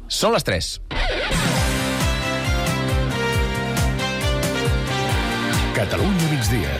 Són les 3. Catalunya migdia.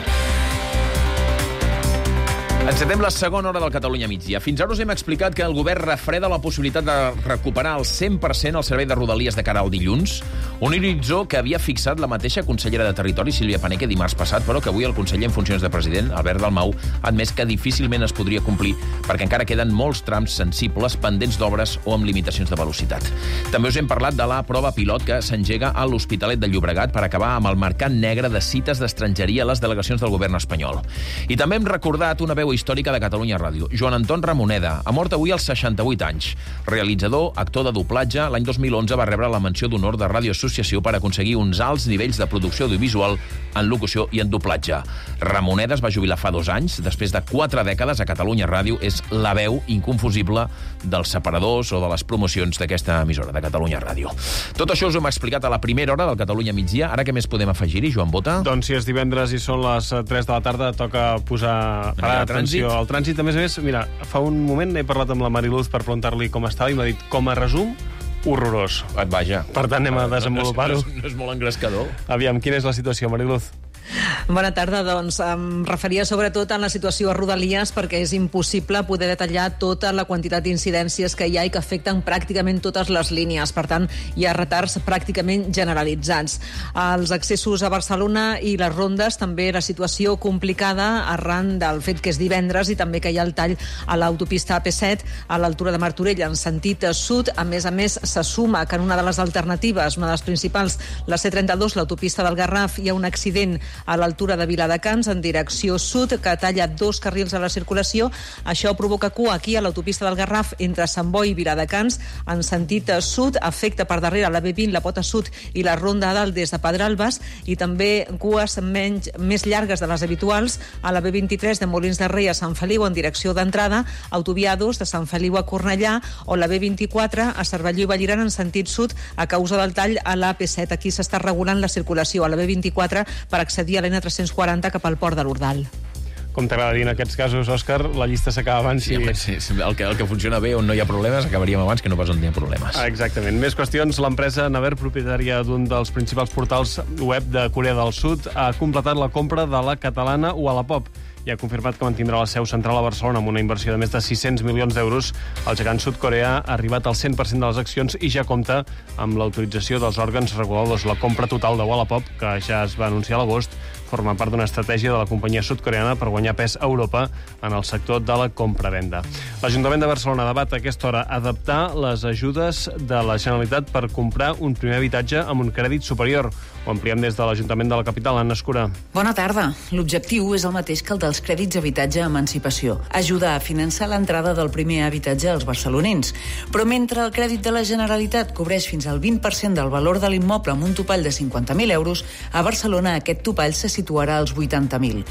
Encetem la segona hora del Catalunya migdia. Fins ara us hem explicat que el govern refreda la possibilitat de recuperar al 100% el servei de Rodalies de cara al dilluns, un horitzó que havia fixat la mateixa consellera de Territori, Sílvia Paneque, dimarts passat, però que avui el conseller en funcions de president, Albert Dalmau, ha admès que difícilment es podria complir perquè encara queden molts trams sensibles pendents d'obres o amb limitacions de velocitat. També us hem parlat de la prova pilot que s'engega a l'Hospitalet de Llobregat per acabar amb el mercat negre de cites d'estrangeria a les delegacions del govern espanyol. I també hem recordat una veu històrica de Catalunya Ràdio. Joan Anton Ramoneda ha mort avui als 68 anys. Realitzador, actor de doblatge, l'any 2011 va rebre la menció d'honor de Ràdio Associació per aconseguir uns alts nivells de producció audiovisual en locució i en doblatge. Ramoneda es va jubilar fa 2 anys. Després de 4 dècades a Catalunya Ràdio és la veu inconfusible dels separadors o de les promocions d'aquesta emissora, de Catalunya Ràdio. Tot això us ho hem explicat a la primera hora del Catalunya migdia. Ara què més podem afegir-hi, Joan Bota? Doncs si és divendres i són les 3 de la tarda, toca parar atenció al trànsit. A més, mira, fa un moment he parlat amb la Mariluz per preguntar-li com estava i m'ha dit, com a resum, horrorós. Vaja. Per tant, anem a desenvolupar-ho. No és molt engrescador. Aviam, quina és la situació, Mariluz? Bona tarda, doncs em referia sobretot a la situació a Rodalies perquè és impossible poder detallar tota la quantitat d'incidències que hi ha i que afecten pràcticament totes les línies. Per tant, hi ha retards pràcticament generalitzats. Els accessos a Barcelona i les rondes, també la situació complicada arran del fet que és divendres i també que hi ha el tall a l'autopista AP7 a l'altura de Martorell en sentit sud. A més, se suma que en una de les alternatives, una de les principals, la C32, l'autopista del Garraf, hi ha un accident a l'altura de Viladecans en direcció sud que talla 2 carrils a la circulació. Això provoca cua aquí a l'autopista del Garraf entre Sant Boi i Viladecans en sentit sud, afecta per darrere la B20, la pota sud i la ronda a dalt des de Pedralbes i també cues més llargues de les habituals a la B23 de Molins de Rei a Sant Feliu en direcció d'entrada, autovia 2 de Sant Feliu a Cornellà o la B24 a Cervelló i Vallirana en sentit sud a causa del tall a l'AP7. Aquí s'està regulant la circulació a la B24 per accedir a l'N340 cap al port de l'Ordal. Com t'agrada dir en aquests casos, Òscar, la llista s'acaba abans. Sí, el que funciona bé on no hi ha problemes, acabaríem abans que no pas on hi ha problemes. Exactament. Més qüestions. L'empresa Naver, propietària d'un dels principals portals web de Corea del Sud, ha completat la compra de la catalana Wallapop i ha confirmat que mantindrà la seu central a Barcelona amb una inversió de més de 600 milions d'euros. El gegant sud-coreà ha arribat al 100% de les accions i ja compta amb l'autorització dels òrgans reguladors. La compra total de Wallapop, que ja es va anunciar a l'agost, forma part d'una estratègia de la companyia sud-coreana per guanyar pes a Europa en el sector de la compra-venda. L'Ajuntament de Barcelona debat a aquesta hora adaptar les ajudes de la Generalitat per comprar un primer habitatge amb un crèdit superior. Ho ampliem des de l'Ajuntament de la capital, Anna Escura. Bona tarda. L'objectiu és el mateix que el dels crèdits habitatge emancipació. Ajudar a finançar l'entrada del primer habitatge als barcelonins. Però mentre el crèdit de la Generalitat cobreix fins al 20% del valor de l'immoble amb un topall de 50.000 euros, a Barcelona aquest topall se situarà als 80.000.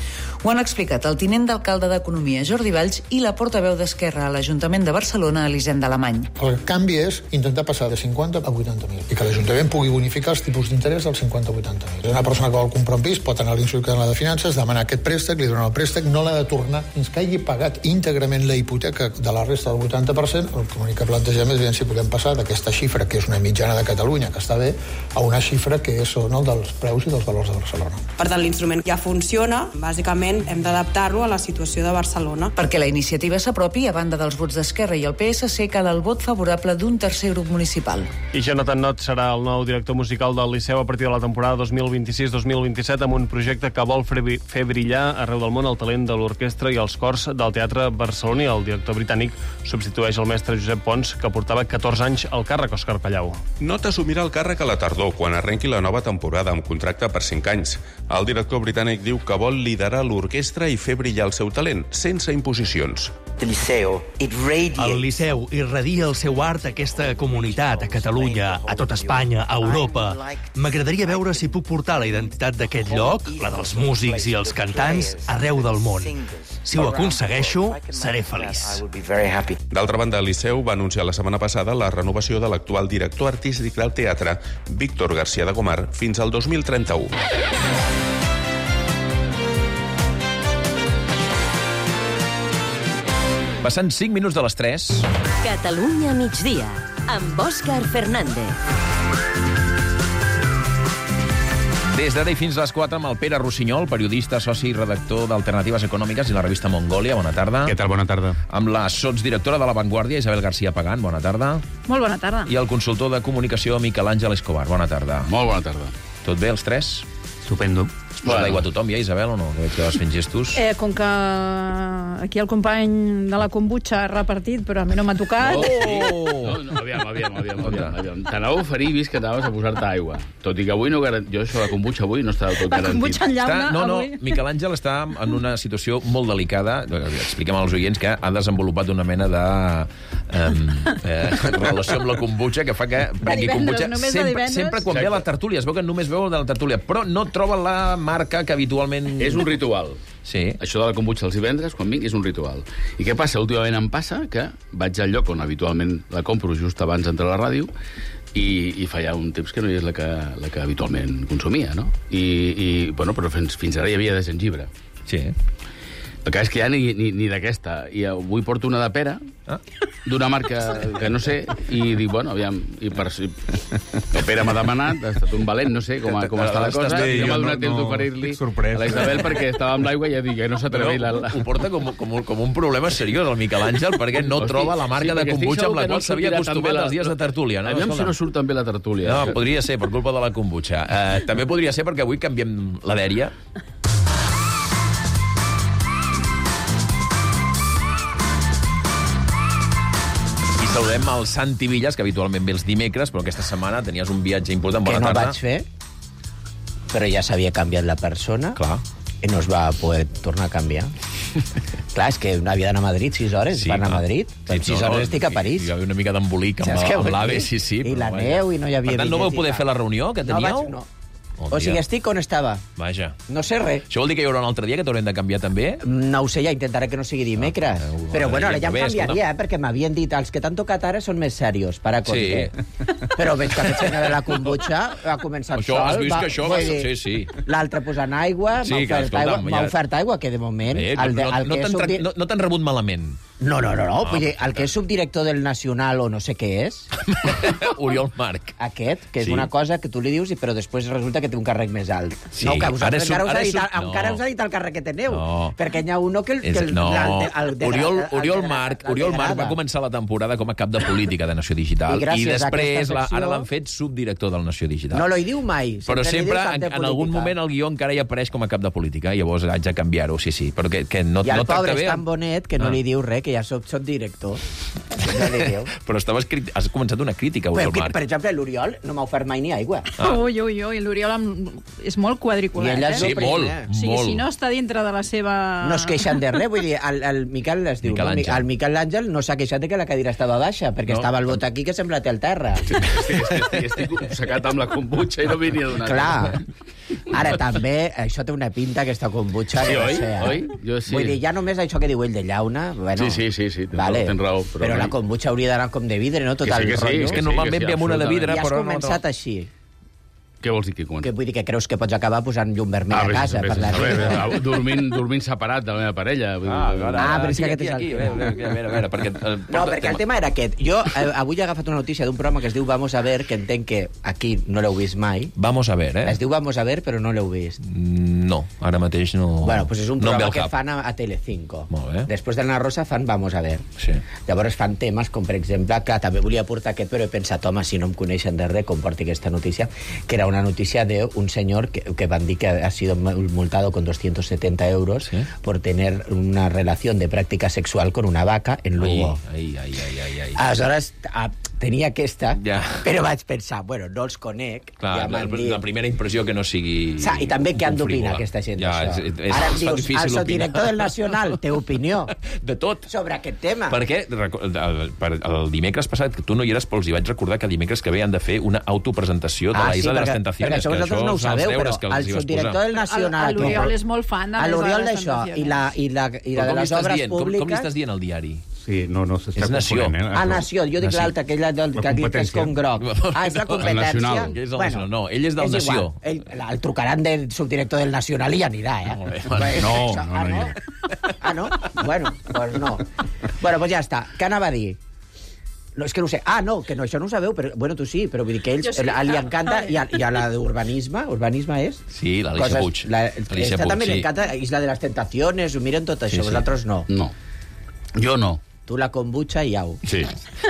Ho han explicat el tinent d'alcalde d'Economia, Jordi Valls, i la portaveu d'Esquerra a l'Ajuntament de Barcelona, Elisenda Alemany. El canvi és intentar passar de 50 a 80.000 i que l'Ajuntament pugui bonificar els tipus d'interès del 50 a 80.000. Una persona que vol comprar un pis pot anar a l'Institut Català de Finances, demanar aquest préstec, li donen el préstec, no l'ha de tornar fins que hagi pagat íntegrament la hipoteca de la resta del 80%. El que plantegem és si podem passar d'aquesta xifra, que és una mitjana de Catalunya, que està bé, a una xifra que són el dels preus i dels valors de Barcelona. Per tant, l'instrument ja funciona. Bàsicament, hem d'adaptar-lo a la situació de Barcelona. Perquè la iniciativa s'apropi, a banda dels vots d'Esquerra i el PSC, cal el vot favorable d'un tercer grup municipal. I Jonathan Nott serà el nou director musical del Liceu a partir de la temporada 2026-2027 amb un projecte que vol fer brillar arreu del món el talent de l'orquestra i els cors del teatre barceloní. El director britànic substitueix el mestre Josep Pons, que portava 14 anys al càrrec. Òscar Pallau. Nott assumirà el càrrec a la tardor, quan arrenqui la nova temporada amb contracte per 5 anys. El director britànic diu que vol liderar l'orquestra i fer brillar el seu talent, sense imposicions. El Liceu irradia el seu art a aquesta comunitat, a Catalunya, a tot Espanya, a Europa. M'agradaria veure si puc portar la identitat d'aquest lloc, la dels músics i els cantants, arreu del món. Si ho aconsegueixo, seré feliç. D'altra banda, el Liceu va anunciar la setmana passada la renovació de l'actual director artístic del teatre, Víctor García de Gomar, fins al 2031. Passant 5 minuts de les 3. Catalunya migdia, amb Òscar Fernández. Des d'ara i fins a les 4 amb el Pere Rossinyol, periodista, soci i redactor d'Alternatives Econòmiques i la revista Mongòlia. Bona tarda. Què tal? Bona tarda. Amb la sotsdirectora de La Vanguardia, Isabel García Pagán. Bona tarda. Molt bona tarda. I el consultor de comunicació, Miquel Àngel Escobar. Bona tarda. Molt bona tarda. Tot bé, els tres? Estupendo. Es posa l'aigua a tothom ja, Isabel, o no? Que vas fent gestos. Com que aquí el company de la kombucha ha repartit, però a mi no m'ha tocat. No, aviam. T'anava a oferir, vist que anaves a posar-te aigua. Tot i que avui no jo això de la kombucha avui no està del tot garantit. La kombucha en llauna, avui. Miquel Àngel està en una situació molt delicada. Expliquem als oients que ha desenvolupat una mena de relació amb la kombucha que fa que prengui kombucha sempre quan ve a la tertúlia. Es veu que només veu de la tertúlia, però no troba la marca que habitualment... És un ritual. Sí. Això de la kombucha els divendres, quan vinc, és un ritual. I què passa? Últimament em passa que vaig al lloc on habitualment la compro just abans d'entrar a la ràdio i fa ja un temps que no hi és la que habitualment consumia, no? Bueno, però fins ara hi havia de gengibre. Sí. El cas és que ja ni d'aquesta. I avui porto una de pera, d'una marca que no sé, i dic, bueno, aviam, el Pere m'ha demanat, ha estat un valent, no sé com està la cosa, i no m'ha donat temps d'oferir-li a la Isabel perquè estava amb l'aigua i ja dic que no s'atreveix. Ho porta com un problema seriós, el Miquel Àngel, perquè no troba la marca de kombucha amb la qual s'havia acostumat els dies de tertúlia. Aviam si no surt tan bé la tertúlia. No, podria ser, per culpa de la kombucha. També podria ser perquè avui canviem la dèria. Saludem el Santi Villas, que habitualment ve els dimecres, però aquesta setmana tenies un viatge important. Bona tarda. Que no vaig fer, però ja s'havia canviat la persona. Clar. I no es va poder tornar a canviar. Clar, és que havia d'anar a Madrid 6 hores, va anar a Madrid. En 6 hores estic a París. Hi havia una mica d'embolic amb l'AVE, sí. I la neu, i no hi havia... Per tant, no vau poder fer la reunió que teníeu? No. O sigui, estic on estava. Vaja. No sé res. Això vol dir que hi haurà un altre dia que t'haurem de canviar també? No ho sé, ja intentaré que no sigui dimecres. Però bueno, ara ja em canviaria, perquè m'havien dit els que t'han tocat ara són més serios, para conte. Però veig que aquest senyor de la kombucha ha començat sol. Has vist que això va ser, sí. L'altre posant aigua, m'ha ofert aigua, que de moment... No t'han rebut malament. No. Vull dir, el que és subdirector del Nacional o no sé què és... Oriol Marc. Aquest, que és una cosa que tu li dius, però després resulta que té un càrrec més alt. Sí, no, que encara us ha dit el càrrec que teniu. Perquè n'hi ha uno que... Oriol Marc va començar la temporada com a cap de política de Nació Digital. I després ara l'han fet subdirector del Nació Digital. No l'hi diu mai. Però sempre, en algun moment, el guió encara hi apareix com a cap de política. Llavors haig de canviar-ho, sí. Però que no i el pobre és tan bonet que no li diu res, que ja soc director. No li diu. Però has començat una crítica, Oriol Marc. Per exemple, l'Oriol no m'ha ofert mai ni aigua. Ui, l'Oriol és molt quadriculat. Sí, molt. O sigui, si no està dintre de la seva... No es queixen de res, vull dir, el Miquel es diu... El Miquel Àngel no s'ha queixat de que la cadira estava baixa, perquè estava el bot aquí que sembla té al terra. Estic obcecat amb la kombucha i no venia donat. Clar. Ara també, això té una pinta, aquesta kombucha. Sí, oi? Jo sí. Vull dir, ja només això que diu ell de llauna... Sí, tens raó. Però la kombucha hauria d'anar com de vidre, no? Tot el rotllo. És que normalment ve amb una de vidre, però... I has començat així. Què vols dir que comença? Vull dir que creus que pots acabar posant llum vermell a casa per la nit. Dormint separat de la meva parella. Però és que aquest és el... A veure, no, perquè el tema era aquest. Jo avui he agafat una notícia d'un programa que es diu Vamos a ver, que entenc que aquí no l'heu vist mai. Vamos a ver, Es diu Vamos a ver, però no l'heu vist. No, ara mateix no... Bueno, doncs és un programa que fan a Telecinco. Molt bé. Després d'Anna Rosa fan Vamos a ver. Sí. Llavors fan temes com, per exemple, clar, també volia portar aquest, però he pensat, home, si no em coneixen de res, com porti aquesta notícia, que era una noticia de un señor que van dir que ha sido multado con 270 euros por tener una relación de práctica sexual con una vaca en Lugo. Aleshores, tenia aquesta, però vaig pensar, bueno, no els conec. Clar, la primera impressió que no sigui... I també què han d'opinar aquesta gent d'això? Ara em dius, el subdirector del Nacional té opinió. De tot. Sobre aquest tema. Perquè el dimecres passat, que tu no hi eres, però els hi vaig recordar que dimecres que ve han de fer una autopresentació de la Isla de les Tentaciones. Perquè això vosaltres no ho sabeu, però el subdirector del Nacional... L'Oriol és molt fan de l'Oriol d'això i la de les obres públiques... Com li estàs dient al diari? Sí, no s'està confonent. Nació, jo dic l'altra, aquella que és com groc. És la competència. No, ell és del Nació. El trucaran del subdirector del Nacional i anirà, No. Ah, no? Bueno, doncs no. Bueno, doncs ja està. Què anava a dir? No, és que no ho sé. Ah, no, que no, això no ho sabeu, però, bueno, tu sí, però vull dir que ells, sí. Li encanta, i a la d'urbanisme, urbanisme és... Sí, l'Alicia Puig. Alicia Puig, també li encanta Isla de las Tentaciones, ho miren tot això, vosaltres no. No, jo no. Tu la kombucha i au. Sí.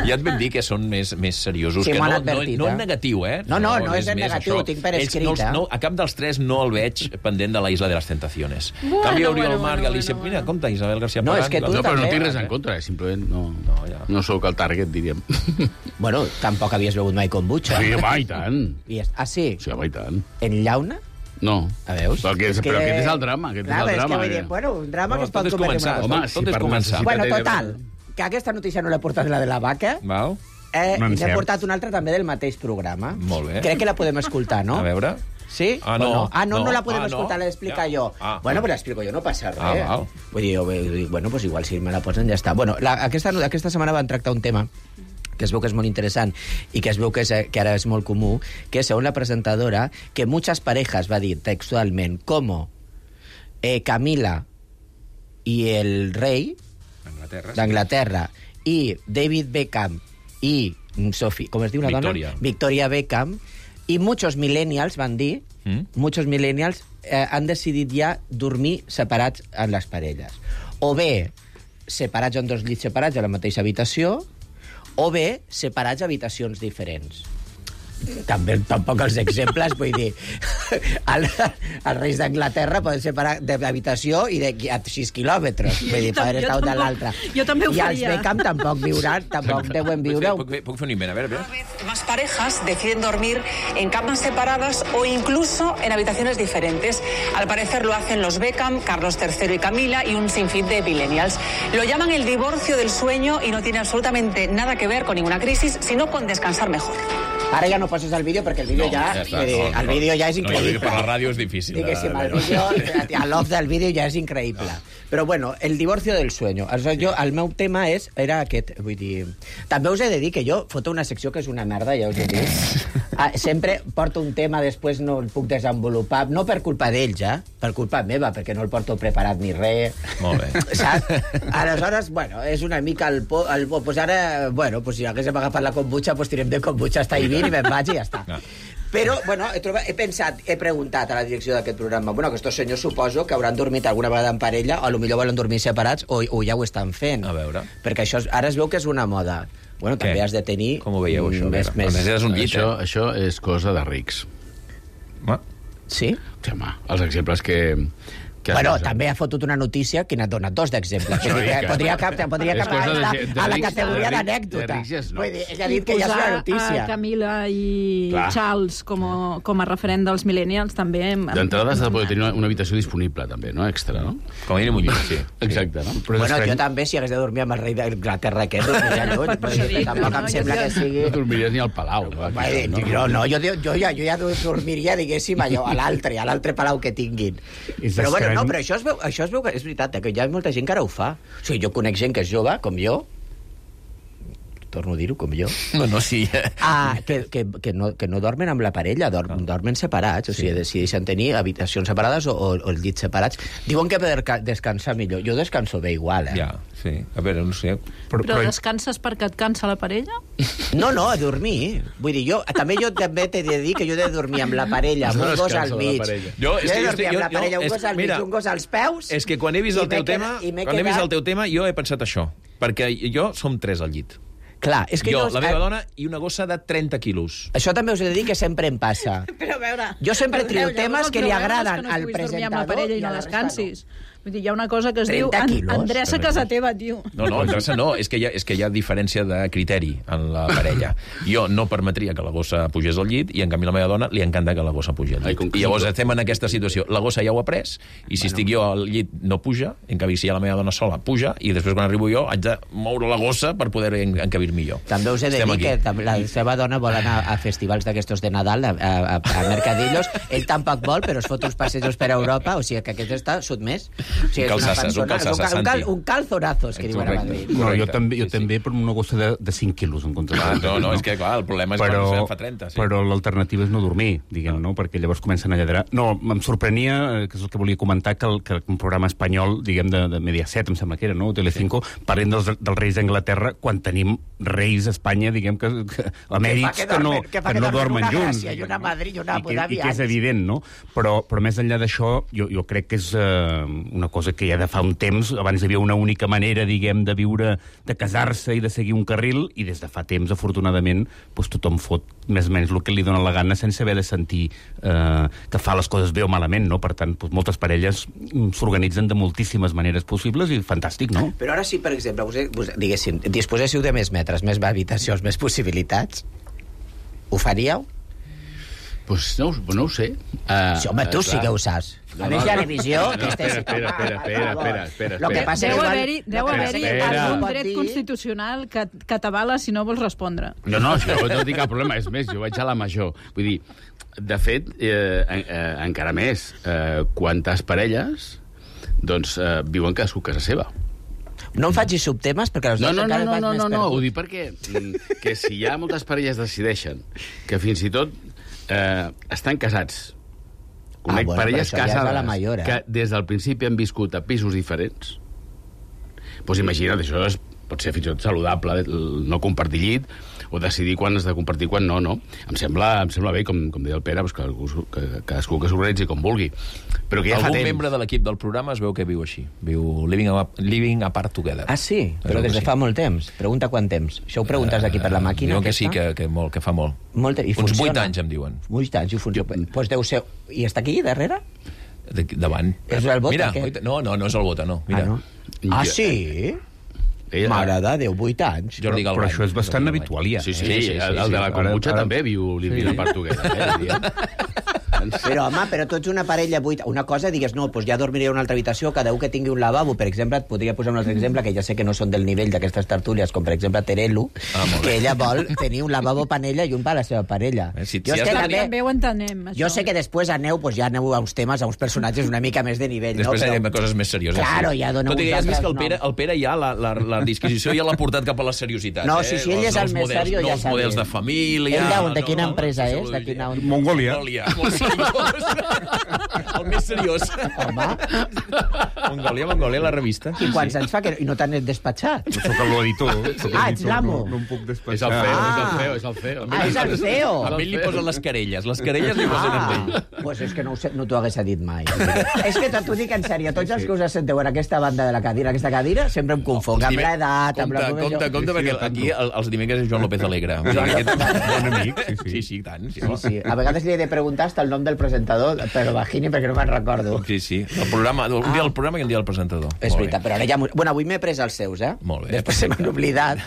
Ja et vam dir que són més seriosos. Sí, que m'han advertit, no en negatiu, eh? No és en negatiu, ho tinc per escrit. A cap dels tres no el veig pendent de la Isla de las Tentaciones. Canvi Oriol Marc, Alicia... Mira, compte, Isabel García Pagán. No, és que tu també... però no tinc també... res en contra, simplement no sóc el target, diríem. Bueno, tampoc havies begut mai kombucha. Sí, home, i tant. Ah, sí? Sí, home, i tant. En llauna? No. A veus? Però aquest és el drama. Clar, és que vull dir, bueno, un drama que es pot començar. Home, tot és començar. Bueno, total, que aquesta notícia no l'he portat la de la vaca. Val. N'he portat una altra també del mateix programa. Molt bé. Crec que la podem escoltar, no? A veure. Sí? Ah, no. No la podem escoltar, l'he d'explicar jo. Bueno, però l'explico jo, no passa res. Val. Vull dir, bueno, pues igual si me la posen ja està. Bueno, aquesta setmana van tractar un tema que es veu que és molt interessant i que es veu que ara és molt comú, que segons la presentadora, que muchas parejas, va dir textualment, como Camila y el rey d'Anglaterra i David Beckham i Sophie, com es diu la dona? Victoria Beckham, i muchos millennials van dir, muchos millennials han decidit ja dormir separats en les parelles. O bé separats en dos llits separats a la mateixa habitació, o bé separats a habitacions diferents. Tampoc els exemples, vull dir, els reis d'Anglaterra poden separar d'habitació i a 6 quilòmetres, vull dir, poden estar un de l'altre. Jo també ho faria. I els Beckham tampoc deuen viure... Puc fer un invent, a veure. Más parejas deciden dormir en camas separadas o incluso en habitaciones diferentes. Al parecer lo hacen los Beckham, Carlos III y Camila y un sinfín de millennials. Lo llaman el divorcio del sueño y no tiene absolutamente nada que ver con ninguna crisis, sino con descansar mejor. Ara ja no poses el vídeo perquè el vídeo el vídeo ja és increïble. Per la ràdio és difícil. Diguéssim, l'off del vídeo ja és increïble. Però bueno, el divorcio del sueño. El meu tema era aquest, vull dir... També us he de dir que jo foto una secció que és una merda, ja us he dit. Sempre porto un tema, després no el puc desenvolupar, no per culpa d'ells, per culpa meva, perquè no el porto preparat ni res. Molt bé. Saps? Aleshores, bueno, és una mica el pues ara, bueno, pues si haguéssim agafat la kombucha, pues tirem de kombucha hasta Ivin i me'n vaig i ja està. Però, bueno, he preguntat a la direcció d'aquest programa, bueno, que estos senyors suposo que hauran dormit alguna vegada en parella, o potser volen dormir separats, o ja ho estan fent. A veure. Perquè això ara es veu que és una moda. Bueno, també has de tenir... Com ho veieu, això? Això és cosa de rics. Sí? Sí, home, els exemples que bueno, també ha fotut una notícia que n'ha donat dos d'exemples. Podria estar a la categoria d'anècdota. Vull dir, ell ha dit que ja és una notícia. A Camila i Charles com a referent dels millennials també... D'entrada has de poder tenir una habitació disponible, també, no? Extra, no? Com a mínim un llit, sí. Exacte, no? Bueno, jo també, si hagués de dormir amb el rei d'Anglaterra aquest, tampoc em sembla que sigui... No dormiries ni al Palau. No, jo ja dormiria, diguéssim, allò, a l'altre palau que tinguin. Però bueno, no, però això es veu que és veritat, que hi ha molta gent que ara ho fa. O sigui, jo conec gent que és jove, com jo, torno a dir-ho, com jo. No, sí. Que no dormen amb la parella, dormen separats, o sigui, decideixen tenir habitacions separades o els llits separats. Diuen que per descansar millor. Jo descanso bé igual, Ja, sí. A veure, no sé. Però descanses perquè et cansa la parella? No, a dormir. Vull dir, jo també t'he de dir que jo he de dormir amb la parella, amb un gos al mig. Jo he de dormir amb la parella, un gos al mig, un gos als peus... És que quan he vist el teu tema, jo he pensat això. Perquè jo som 3 al llit. Clar, és que jo, la meva dona i una gossa de 30 quilos. Això també us he de dir que sempre em passa. Però a veure... Jo sempre trio temes que li agraden al presentador... Que no amb la parella i no descansis. Vull dir, hi ha una cosa que es diu endreça casa teva, tio. No, endreça no, és que hi ha diferència de criteri en la parella. Jo no permetria que la gossa pugés al llit i en canvi la meva dona li encanta que la gossa pugi al llit. I llavors estem en aquesta situació. La gossa ja ho ha pres i si estic jo al llit no puja, en canvi si hi ha la meva dona sola puja i després quan arribo jo haig de moure la gossa per poder encabir-me jo. També us he de dir que la seva dona vol anar a festivals d'aquestos de Nadal, a mercadillos. Ell tampoc vol, però es fot uns passejos per Europa, o sigui que aquest està sotmès. sigui, un calzonazos, que diuen a Madrid. No, jo també per una gossa de 5 quilos, en comptes. No, és que, clar, el problema és quan fa 30. Però l'alternativa és no dormir, diguem, no? Perquè llavors comencen a lladrar. No, em sorprenia, que és el que volia comentar, que un programa espanyol, diguem, de Mediaset, em sembla que era, no? Telecinco, parlem dels reis d'Anglaterra quan tenim reis a Espanya, diguem, que emèrits que no dormen junts. I una Madrid i una Abu Dhabi. I que és evident, no? Però més enllà d'això, jo crec que és una cosa que ja de fa un temps, abans hi havia una única manera, diguem, de viure, de casar-se i de seguir un carril, i des de fa temps, afortunadament, doncs tothom fot més o menys el que li dona la gana sense haver de sentir que fa les coses bé o malament, no? Per tant, doncs, moltes parelles s'organitzen de moltíssimes maneres possibles i fantàstic, no? Però ara sí, per exemple, diguéssim, disposéssiu de més metres, més habitacions, més possibilitats, ho faríeu? Pues no ho sé. Sí, home, tu sí que ho saps. A més, hi ha revisió... Espera. Lo que passa deu haver-hi algun dret constitucional que t'avala si no vols respondre. No, això no tinc cap problema. És més, jo vaig a la major. Vull dir, de fet, encara més, quantes parelles doncs viuen cadascú a casa seva. No em facis subtemes, perquè els dos encara vaig més No, ho dic perquè que si hi ha moltes parelles decideixen que fins i tot estan casats, conec parelles casades que des del principi han viscut a pisos diferents, doncs imagina't, això pot ser fins i tot saludable, no compartir llit, o decidir quan has de compartir, quan no. Em sembla bé, com deia el Pere, que cadascú que s'organitzi com vulgui. Però que ja fa temps. Algun membre de l'equip del programa es veu que viu així. Viu living apart together. Ah, sí? Però des de fa molt temps. Pregunta quant temps. Això ho preguntes aquí per la màquina? Diuen que sí, que fa molt. Uns 8 anys, em diuen. 8 anys, i funciona. Doncs deu ser... I està aquí, darrere? Davant. És el Bota, aquest? No és el Bota, no. Ah, sí? Mare de Déu, 8 anys. Però això és bastant habitual, ja. Sí, el de la Kombucha també viu l'Ivina Portuguesa. Però, home, tu ets una parella una cosa, digues, no, doncs ja dormiré a una altra habitació, cada un que tingui un lavabo, per exemple, et podria posar un altre exemple, que ja sé que no són del nivell d'aquestes tertúlies, com per exemple Terelu, que ella vol tenir un lavabo per ella i un per la seva parella. També ho entenem, això. Jo sé que després aneu a uns temes, a uns personatges una mica més de nivell, no? Després anem a coses més serioses. Claro, ja dona tot i que ja has vist que el Pere ja la disquisició ja l'ha portat cap a la seriositat. No, si ell és el més seriós, ja sabem. Els models de família... Ell de quina empresa és? Mongòlia. El més seriós. Home. Mongòlia, la revista. I quants anys fa que no t'han despatxat? Soc l'editor. Ets l'amo. No em puc despatxar. És el CEO. És el CEO. A ell li posen les querelles. Les querelles li posen amb ell. Pues és que no t'ho hagués dit mai. És que t'ho dic en sèrio. Tots els que us assenteu en aquesta banda de la cadira, aquesta cadira, sempre em confonc amb l'edat, amb la... Compte, perquè aquí els dimecres és Joan López Alegre. Bon amic, sí, tant. Sí. A vegades li he de preguntar hasta el nom del presentador, però Bajini, perquè no me'n recordo. Sí. El programa, un dia el programa i un dia el presentador. És veritat, però ara ja... Bueno, avui m'he pres els seus, Molt bé. Després se m'han oblidat.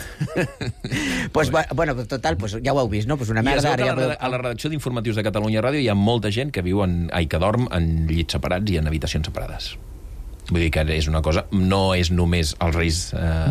Bueno, total, ja ho heu vist, no? Una merda. A la redacció d'Informatius de Catalunya Ràdio hi ha molta gent que viu que dorm en llits separats i en habitacions separades. Vull dir que és una cosa... No és només els reis...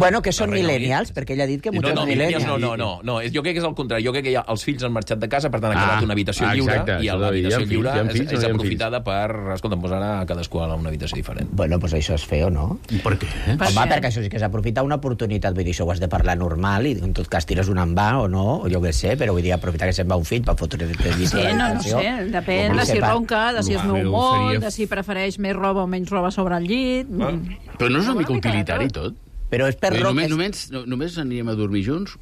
Bueno, que són millennials, perquè ell ha dit que molts millennials... No. Jo crec que és el contrari. Jo crec que els fills han marxat de casa, per tant, ha quedat una habitació lliure, i l'habitació lliure és aprofitada per... Escolta'm, posar a cadascú a una habitació diferent. Bueno, doncs això és feo, no? Per què? Home, perquè això sí que és aprofitar una oportunitat. Vull dir, això ho has de parlar normal, i en tot cas tires un envà o no, o jo què sé, però vull dir, aprofitar que se'n va un fill per fotre de llit. Sí, no sé. Depèn de si ronca, de si es mou molt, de si prefereix més roba o menys roba sobre el llit... Però no és una mica utilitari, tot? Però és per només anirem a dormir junts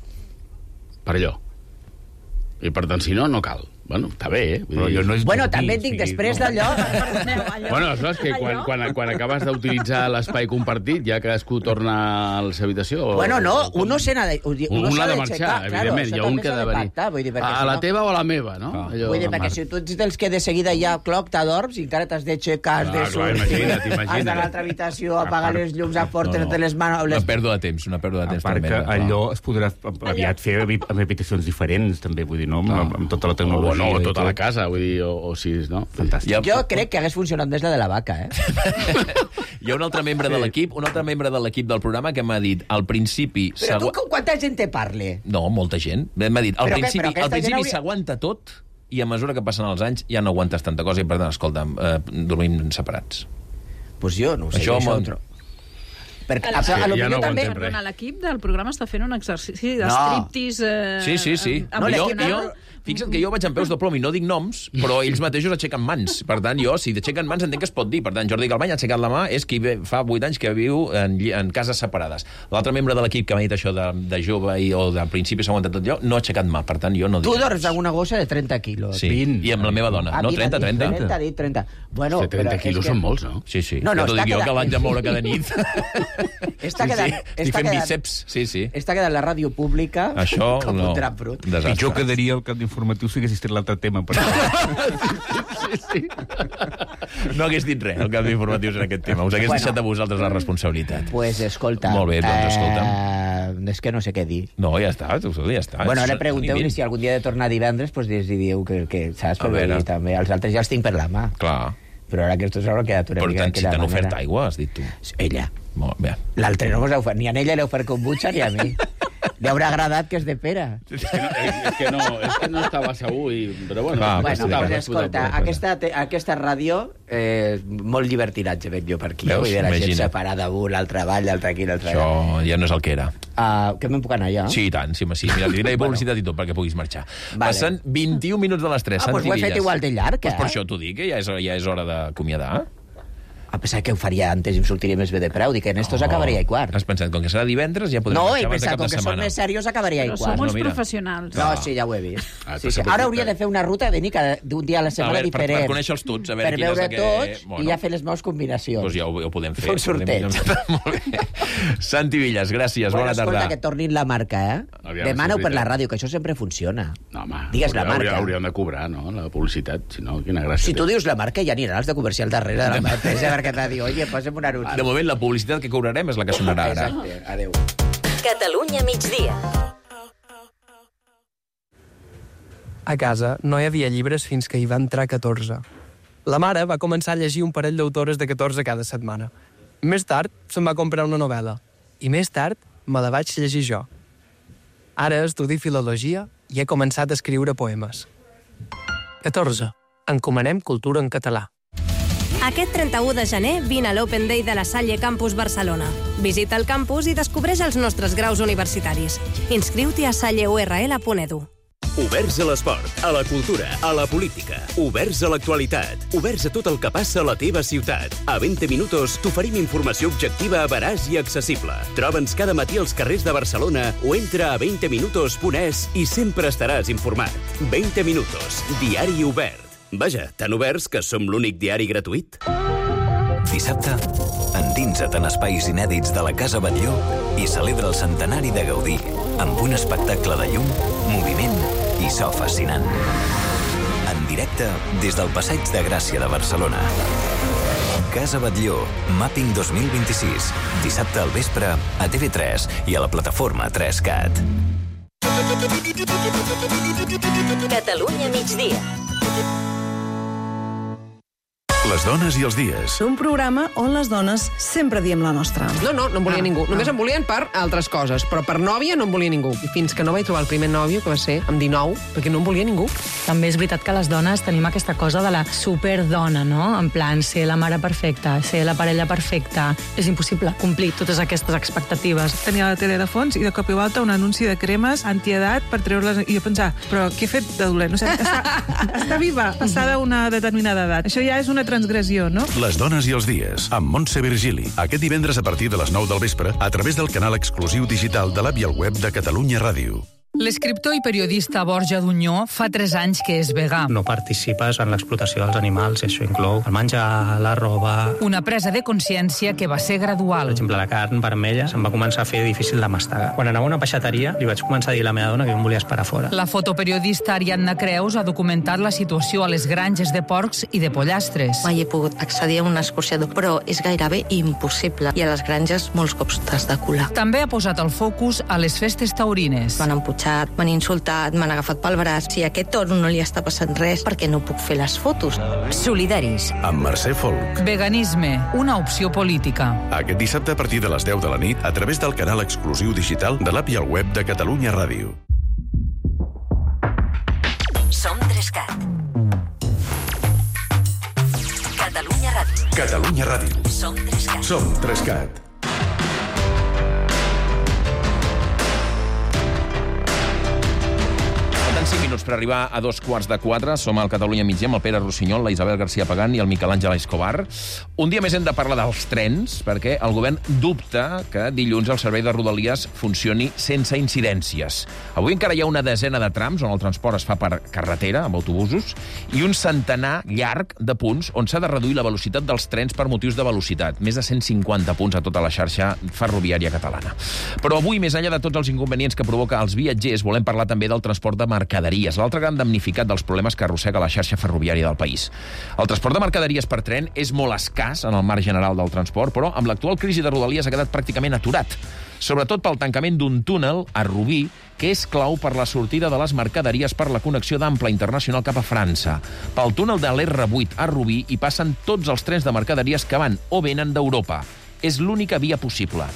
per allò. I per tant, si no cal. Bueno, està bé, Bueno, també et dic, després d'allò... Bueno, és que quan acabes d'utilitzar l'espai compartit, ja cadascú torna a la seva habitació... Bueno, no, uno se n'ha de... Un l'ha de marxar, evidentment, hi ha un que ha de venir. A la teva o a la meva, no? Vull dir, perquè si tu ets dels que de seguida ja t'adorms i encara t'has d'aixecar, has de sortir, has d'anar a l'altra habitació, apagar les llums, a portar-te les mans... Una pèrdua de temps. A part que allò es podrà aviat fer amb habitacions diferents, també, vull dir, no? Amb tota la tecnologia. No, tota la casa, vull dir, o si... No? Fantàstic. Jo crec que hagués funcionat més la de la vaca, Hi ha un altre membre de l'equip del programa que m'ha dit, al principi... Però tu quanta gent te parle? No, molta gent. M'ha dit, al principi s'aguanta tot i a mesura que passen els anys ja no aguantes tanta cosa i, per tant, escolta'm, dormim separats. Pues jo no ho sé. Això Perquè l'equip del programa està fent un exercici de striptease... Sí. Fixa't que jo vaig amb peus de plom i no dic noms, però ells mateixos aixequen mans. Per tant, jo, si aixequen mans, entenc que es pot dir. Per tant, Jordi Galbany ha aixecat la mà, és qui fa 8 anys que viu en cases separades. L'altre membre de l'equip que m'ha dit això de jove o de principi s'ha aguantat tot allò, no ha aixecat mà. Per tant, jo no dic. Tu dors amb una gossa de 30 quilos. Sí, 20. I amb la meva dona. No, 30. 30. Bueno, 30 quilos són molts, no? Sí. No, t'ho dic jo, que l'haig de moure cada nit. Estic fent bíceps, sí. Està quedant la ràdio pública com un drap brut. Pitjor quedaria el cap d'informatiu si haguessis tret l'altre tema. Sí. No hagués dit res, el cap d'informatius en aquest tema. Us hagués deixat a vosaltres la responsabilitat. Pues escolta... Molt bé, doncs escolta'm. És que no sé què dir. No, ja està. Bueno, ara pregunteu-li si algun dia de tornar divendres, pues diu que saps? Però també els altres ja els tinc per la mà. Clar. Però ara aquests s'haurà quedat una mica... Per tant, si t'han ofert aigua, has dit tu. Ella. Molt bé. L'altre no mos ha ofert, ni a ella l'ha ofert kombucha ni a mi. Li haurà agradat que és de pera. És que no estava segur, però bueno... Pues escolta, aquesta ràdio, molt llibertinatge veig jo per aquí. Vull dir, la gent separada, l'altre avall, l'altre aquí, l'altre allà. Això ja no és el que era. Que me'n puc anar ja? Sí, i tant, sí. Mira, li diré publicitat i tot perquè puguis marxar. Passen 21 minuts de les 3. Doncs ho he fet igual de llarg, Pues per això t'ho dic, que ja és hora d'acomiadar. A pesar que ho faria antes i em sortiria més bé de preu. Dic que en estos acabaria i quart. Has pensat, com que serà divendres, ja podrem marxar abans de cap de setmana. No, he pensat, com que som més serios, acabaria i quart. Però som uns professionals. No, sí, ja ho he vist. Ara hauria de fer una ruta de venir d'un dia a la setmana diferent. Per conèixer-los tots, a veure quin és aquest... Per veure tots i ja fer les meves combinacions. Doncs ja ho podem fer. Un sorteig. Molt bé. Santi Villas, gràcies, bona tarda. Escolta, que tornin la marca, Demana-ho per la ràdio, que això sempre funciona. No, home, digues la marca. Hauríem de cobrar, no?, la publicitat, si no, quina gràcia. Si tu dius la marca, ja aniran els de comercial darrere de la meva empresa perquè t'ha dit, oye, posem un anunci. De moment, la publicitat que cobrarem és la que sonarà ara. Exacte, adéu. Catalunya migdia. A casa no hi havia llibres fins que hi va entrar 14. La mare va començar a llegir un parell d'autores de 14 cada setmana. Més tard se'n va comprar una novel·la. I més tard me la vaig llegir jo. Ara estudio filologia i he començat a escriure poemes. 14. Encomanem cultura en català. Aquest 31 de gener vine a l'Open Day de la Salle Campus Barcelona. Visita el campus i descobreix els nostres graus universitaris. Inscriu-t'hi a salleurl.edu. Oberts a l'esport, a la cultura, a la política. Oberts a l'actualitat. Oberts a tot el que passa a la teva ciutat. A 20 minuts t'oferim informació objectiva, veraç i accessible. Troba'ns cada matí als carrers de Barcelona o entra a 20minutos.es i sempre estaràs informat. 20 minutos, diari obert. Vaja, tan oberts que som l'únic diari gratuït. Dissabte, endinsa't en espais inèdits de la Casa Batlló i celebra el centenari de Gaudí amb un espectacle de llum, moviment i so fascinant. En directe des del Passeig de Gràcia de Barcelona. Casa Batlló, Mapping 2026. Dissabte al vespre a TV3 i a la plataforma 3CAT. Catalunya migdia. Les dones i els dies. Un programa on les dones sempre diem la nostra. No em volia ningú. Només em volien per altres coses, però per nòvia no em volia ningú. I fins que no vaig trobar el primer nòvio, que va ser amb 19, perquè no em volia ningú. També és veritat que les dones tenim aquesta cosa de la superdona, no? En plan, ser la mare perfecta, ser la parella perfecta. És impossible complir totes aquestes expectatives. Tenia la tele de fons i de cop i volta un anunci de cremes antiedat per treure-les... I jo pensava, però què he fet de dolent? No sé, està viva, passada una determinada edat. Això ja és una transgressió, no? Les dones i els dies, amb Montse Virgili. Aquest divendres a partir de les 9 del vespre, a través del canal exclusiu digital de l'app i el web de Catalunya Ràdio. L'escriptor i periodista Borja Dunyó fa 3 anys que és vegà. No participes en l'explotació dels animals, i això inclou el menjar, la roba... Una presa de consciència que va ser gradual. Per exemple, la carn vermella se'm va començar a fer difícil de mastegar. Quan anava a una peixateria, li vaig començar a dir a la meva dona que jo em volia esperar fora. La fotoperiodista Ariadna Creus ha documentat la situació a les granges de porcs i de pollastres. Mai he pogut accedir a un escorxador, però és gairebé impossible. I a les granges molts cops t'has de colar. També ha posat el focus a les festes taurines. M'han emputxat, m'han insultat, m'han agafat pel braç. Si a aquest toro no li està passant res, perquè no puc fer les fotos. Solidaris. Amb Mercè Folk. Veganisme, una opció política. Aquest dissabte a partir de les 10 de la nit, a través del canal exclusiu digital de l'app i el web de Catalunya Ràdio. Som 3CAT. Catalunya Ràdio. Catalunya Ràdio. Som 3CAT. Som 3CAT. Falten 5 minuts per arribar a 3:45. Som al Catalunya Migdia amb el Pere Rossinyol, la Isabel García Pagán i el Miquel Àngel Escobar. Un dia més hem de parlar dels trens, perquè el govern dubta que dilluns el servei de Rodalies funcioni sense incidències. Avui encara hi ha una desena de trams on el transport es fa per carretera, amb autobusos, i un centenar llarg de punts on s'ha de reduir la velocitat dels trens per motius de velocitat. Més de 150 punts a tota la xarxa ferroviària catalana. Però avui, més enllà de tots els inconvenients que provoca als viatgers, volem parlar també del transport de mercaderies, l'altre gran damnificat dels problemes que arrossega la xarxa ferroviària del país. El transport de mercaderies per tren és molt escàs en el marc general del transport, però amb l'actual crisi de Rodalies ha quedat pràcticament aturat, sobretot pel tancament d'un túnel a Rubí, que és clau per la sortida de les mercaderies per la connexió d'Ample Internacional cap a França. Pel túnel de l'R8 a Rubí hi passen tots els trens de mercaderies que van o venen d'Europa. És l'única via possible.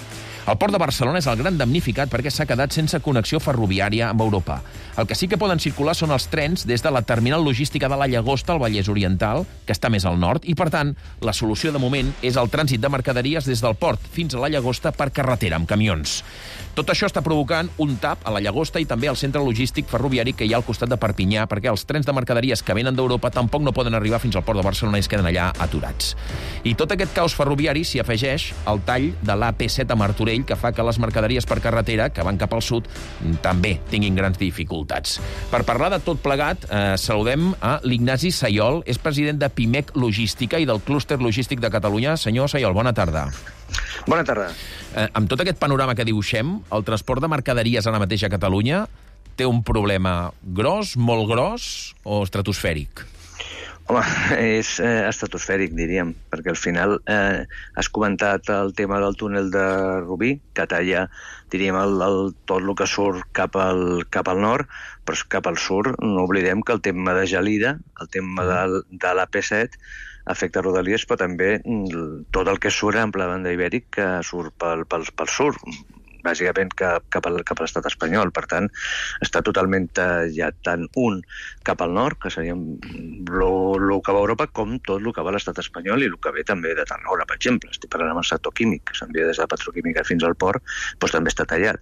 El port de Barcelona és el gran damnificat perquè s'ha quedat sense connexió ferroviària amb Europa. El que sí que poden circular són els trens des de la terminal logística de la Llagosta al Vallès Oriental, que està més al nord, i, per tant, la solució de moment és el trànsit de mercaderies des del port fins a la Llagosta per carretera, amb camions. Tot això està provocant un tap a la Llagosta i també al centre logístic ferroviari que hi ha al costat de Perpinyà, perquè els trens de mercaderies que venen d'Europa tampoc no poden arribar fins al port de Barcelona i es queden allà aturats. I tot aquest caos ferroviari s'hi afegeix el tall de l'AP7 a Martorell, que fa que les mercaderies per carretera, que van cap al sud, també tinguin grans dificultats. Per parlar de tot plegat, saludem a l'Ignasi Sayol, és president de Pimec Logística i del Clúster Logístic de Catalunya. Senyor Sayol, bona tarda. Bona tarda. Amb tot aquest panorama que dibuixem, el transport de mercaderies ara mateix a Catalunya té un problema gros, molt gros o estratosfèric? Home, és estratosfèric, diríem, perquè al final has comentat el tema del túnel de Rubí, que talla, diríem, tot el que surt cap al nord, però cap al sud no oblidem que el tema de Gelida, el tema de l'AP7, afecta Rodalies, però també tot el que surt en la banda ibèric que surt pel sud, bàsicament cap a l'estat espanyol. Per tant, està totalment tallat tant un cap al nord, que seria el que va a Europa, com tot el que va a l'estat espanyol i el que ve també de Tarragona, per exemple. Estic parlant amb el sector químic, que s'envia des de la petroquímica fins al port, doncs també està tallat.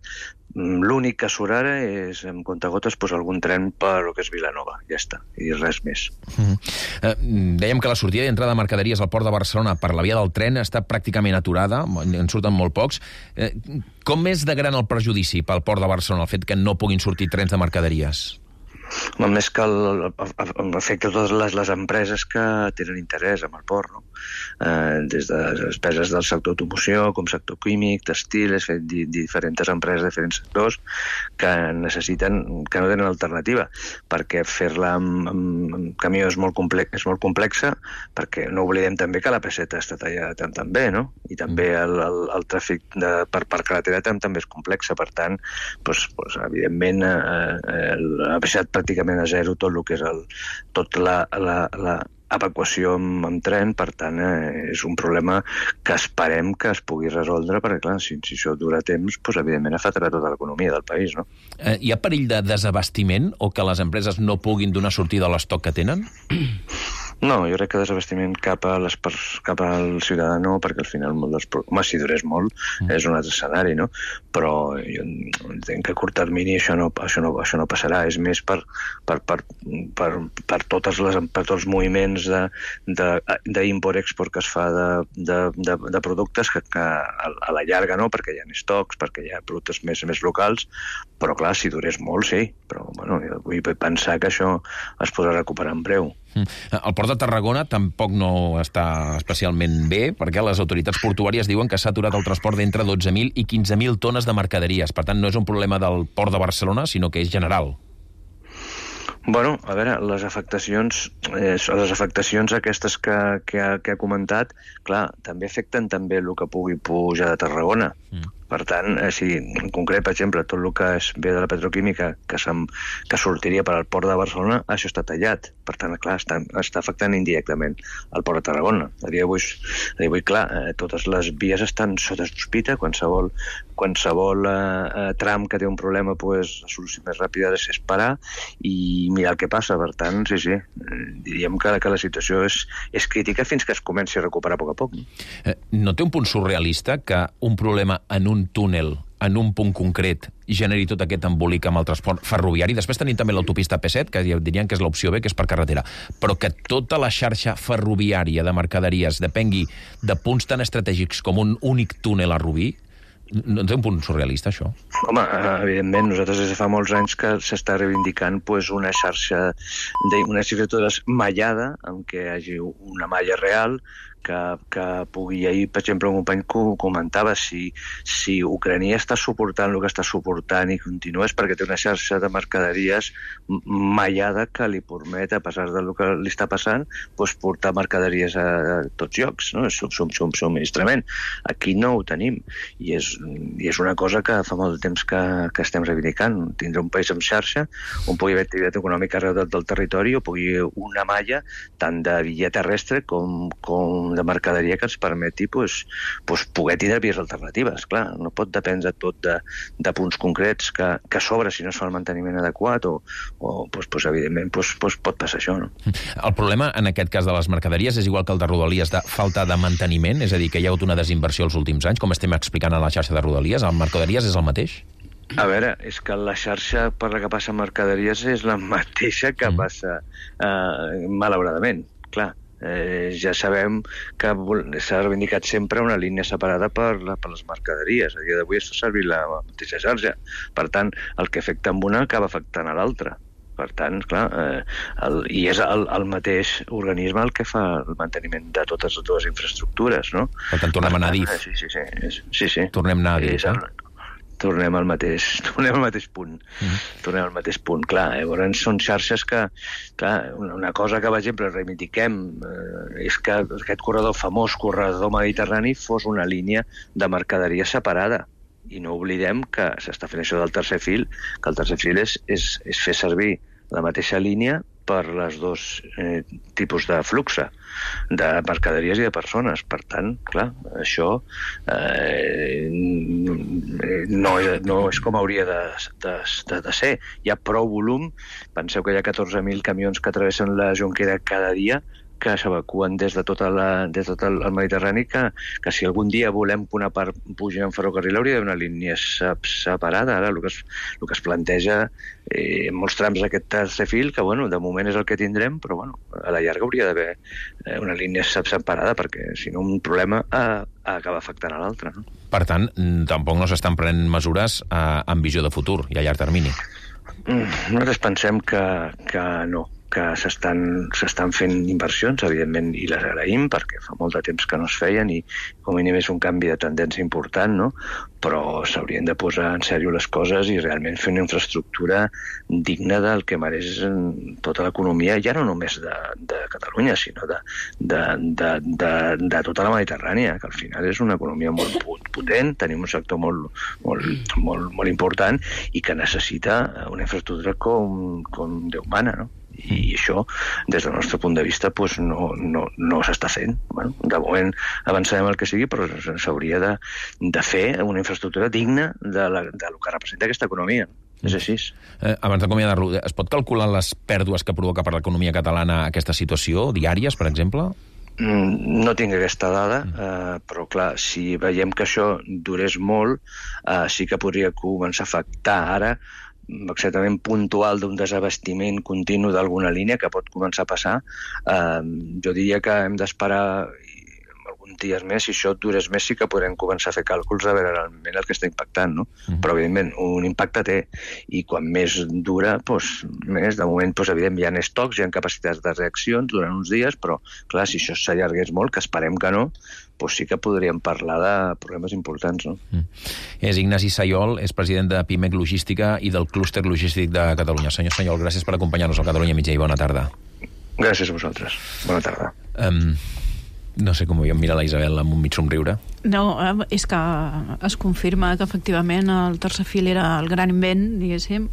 L'únic que surt ara és, amb comptagotes, algun tren per el que és Vilanova, ja està, i res més. Dèiem que la sortida i entrada de mercaderies al port de Barcelona per la via del tren està pràcticament aturada, en surten molt pocs. Com és de gran el perjudici pel port de Barcelona, el fet que no puguin sortir trens de mercaderies? Més que afecta totes les empreses que tenen interès en el port, no? Des de despeses del sector automoció, com sector químic, textil, diferents empreses de diferents sectors que necessiten, que no tenen alternativa, perquè fer-la amb camió és molt complexa, perquè no oblidem també que la P7 està tallada també, no? I també el tràfic per carretera també és complexa, per tant, evidentment, la P7 pràcticament a zero tot el que és l'evacuació amb tren, per tant, és un problema que esperem que es pugui resoldre, perquè, clar, si això dura temps, evidentment afectarà tota l'economia del país, no? Hi ha perill de desabastiment o que les empreses no puguin donar sortida a l'estoc que tenen? No, jo crec que desabastiment cap al ciutadà no, perquè al final si durés molt és un altre escenari, no? Però jo entenc que a curt termini això no passarà, és més per tots els moviments d'import-export que es fa de productes que a la llarga no, perquè hi ha estocs, perquè hi ha productes més locals, però clar, si durés molt sí, però bueno, jo vull pensar que això es podrà recuperar en breu. El port de Tarragona tampoc no està especialment bé, perquè les autoritats portuàries diuen que s'ha aturat el transport d'entre 12.000 i 15.000 tones de mercaderies. Per tant, no és un problema del port de Barcelona, sinó que és general. Bueno, a veure, les afectacions aquestes que ha comentat, clar, també afecten també el que pugui pujar de Tarragona. Per tant, en concret, per exemple, tot el que ve de la petroquímica que sortiria per al port de Barcelona, això està tallat. Per tant, clar, està afectant indirectament el port de Tarragona. A dia d'avui, clar, totes les vies estan sota sospita. Qualsevol tram que té un problema, la solució més ràpida és parar i mirar el que passa. Per tant, sí, diríem que la situació és crítica fins que es comenci a recuperar a poc a poc. No té un punt surrealista que un problema en un túnel, en un punt concret, generi tot aquest embolic amb el transport ferroviari? Després tenim també l'autopista P7, que dirien que és l'opció B, que és per carretera. Però que tota la xarxa ferroviària de mercaderies depengui de punts tan estratègics com un únic túnel a Rubí, no té un punt surrealista, això? Home, evidentment, nosaltres des de fa molts anys que s'està reivindicant una xarxa d'una infraestructura mallada, en què hi hagi una malla real, que pugui... Ahir, per exemple, un company comentava si Ucrània està suportant el que està suportant i continua és perquè té una xarxa de mercaderies mallada que li permet, a pesar del que li està passant, portar mercaderies a tots llocs, no? És subministrament. Aquí no ho tenim. I és una cosa que fa molt de temps que estem reivindicant. Tindre un país amb xarxa on pugui haver activitat econòmica arreu del territori o pugui una malla tant de via terrestre com de mercaderia que ens permeti poder tindre vies alternatives. Clar, no pot dependre tot de punts concrets que a sobre, si no es fa el manteniment adequat evidentment pot passar això, no? El problema en aquest cas de les mercaderies és igual que el de Rodalies, de falta de manteniment, és a dir, que hi ha hagut una desinversió els últims anys, com estem explicant a la xarxa de Rodalies. El mercaderies és el mateix? A veure, és que la xarxa per la que passa mercaderies és la mateixa que passa malauradament, clar. Ja sabem que s'ha reivindicat sempre una línia separada per les mercaderies. A dia d'avui es fa servir la mateixa xarxa. Per tant, el que afecta amb una acaba afectant a l'altra. Per tant, clar, i és el mateix organisme el que fa el manteniment de totes les dues infraestructures, no? Per tant, tornem a anar a DIF. Sí. Tornem a anar a DIF, Tornem al mateix punt. Tornem al mateix punt. Clar, llavors són xarxes que... Clar, una cosa que, per exemple, reivindiquem és que aquest famós corredor mediterrani fos una línia de mercaderia separada. I no oblidem que s'està fent això del tercer fil, que el tercer fil és fer servir la mateixa línia per les dos tipus de flux de mercaderies i de persones. Per tant, clar, això no és com hauria de ser. Hi ha prou volum. Penseu que hi ha 14.000 camions que travessen la Jonquera cada dia, que s'evacuen des de tot el Mediterrani, que si algun dia volem que una part pugi en ferrocarril hauria d'haver una línia separada. Ara el que es planteja en molts trams d'aquest tercer fil, que de moment és el que tindrem, però a la llarga hauria d'haver una línia separada, perquè si no un problema acaba afectant a l'altre. Per tant, tampoc no s'estan prenent mesures amb visió de futur i a llarg termini. Nosaltres pensem que no, que s'estan fent inversions, evidentment, i les agraïm, perquè fa molt de temps que no es feien i com a mínim és un canvi de tendència important, no? Però s'haurien de posar en sèrio les coses i realment fer una infraestructura digna del que mereix tota l'economia, ja no només de Catalunya, sinó de tota la Mediterrània, que al final és una economia molt potent, tenim un sector molt important i que necessita una infraestructura com Déu mana, no? I això, des del nostre punt de vista, no s'està fent. De moment avançarem el que sigui, però s'hauria de fer una infraestructura digna del que representa aquesta economia. És així. Abans d'acomiadar-lo, es pot calcular les pèrdues que provoca per l'economia catalana aquesta situació, diàries, per exemple? No tinc aquesta dada, però clar, si veiem que això durés molt, sí que podria començar a afectar ara exactament puntual d'un desabastiment continu d'alguna línia que pot començar a passar. Jo diria que hem d'esperar alguns dies més, si això durés més sí que podrem començar a fer càlculs a veure realment el que està impactant, no? Però evidentment un impacte té, i quan més dura, més. De moment, evidentment, hi ha estocs, hi ha capacitats de reaccions durant uns dies, però clar, si això s'allargués molt, que esperem que no, sí que podríem parlar de problemes importants, no? És Ignasi Sayol, és president de PIMEC Logística i del Clúster Logístic de Catalunya. Senyor Sayol, gràcies per acompanyar-nos al Catalunya Migdia i bona tarda. Gràcies a vosaltres. Bona tarda. No sé com ho mirar la Isabel amb un mig somriure. No, és que es confirma que efectivament el tercer fil era el gran invent, diguéssim,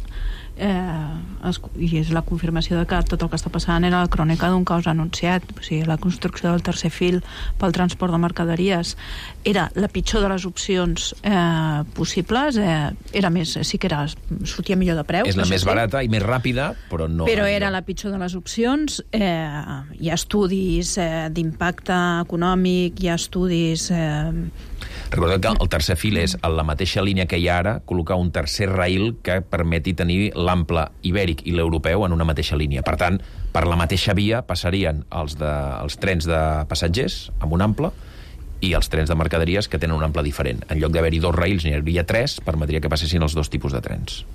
i és la confirmació de que tot el que està passant era la crònica d'un caos anunciat. O sigui, la construcció del tercer fil pel transport de mercaderies era la pitjor de les opcions possibles, era més, sí que sortia millor de preu. És la més barata i més ràpida, però no... Però era la pitjor de les opcions. Hi ha estudis d'impacte econòmic, hi ha estudis... Recordeu que el tercer fil és, a la mateixa línia que hi ha ara, col·locar un tercer rail que permeti tenir l'ample ibèric i l'europeu en una mateixa línia. Per tant, per la mateixa via passarien els trens de passatgers amb un ample i els trens de mercaderies que tenen un ample diferent. En lloc d'haver-hi 2 rails, n'hi hauria 3, permetria que passessin els 2 tipus de trens.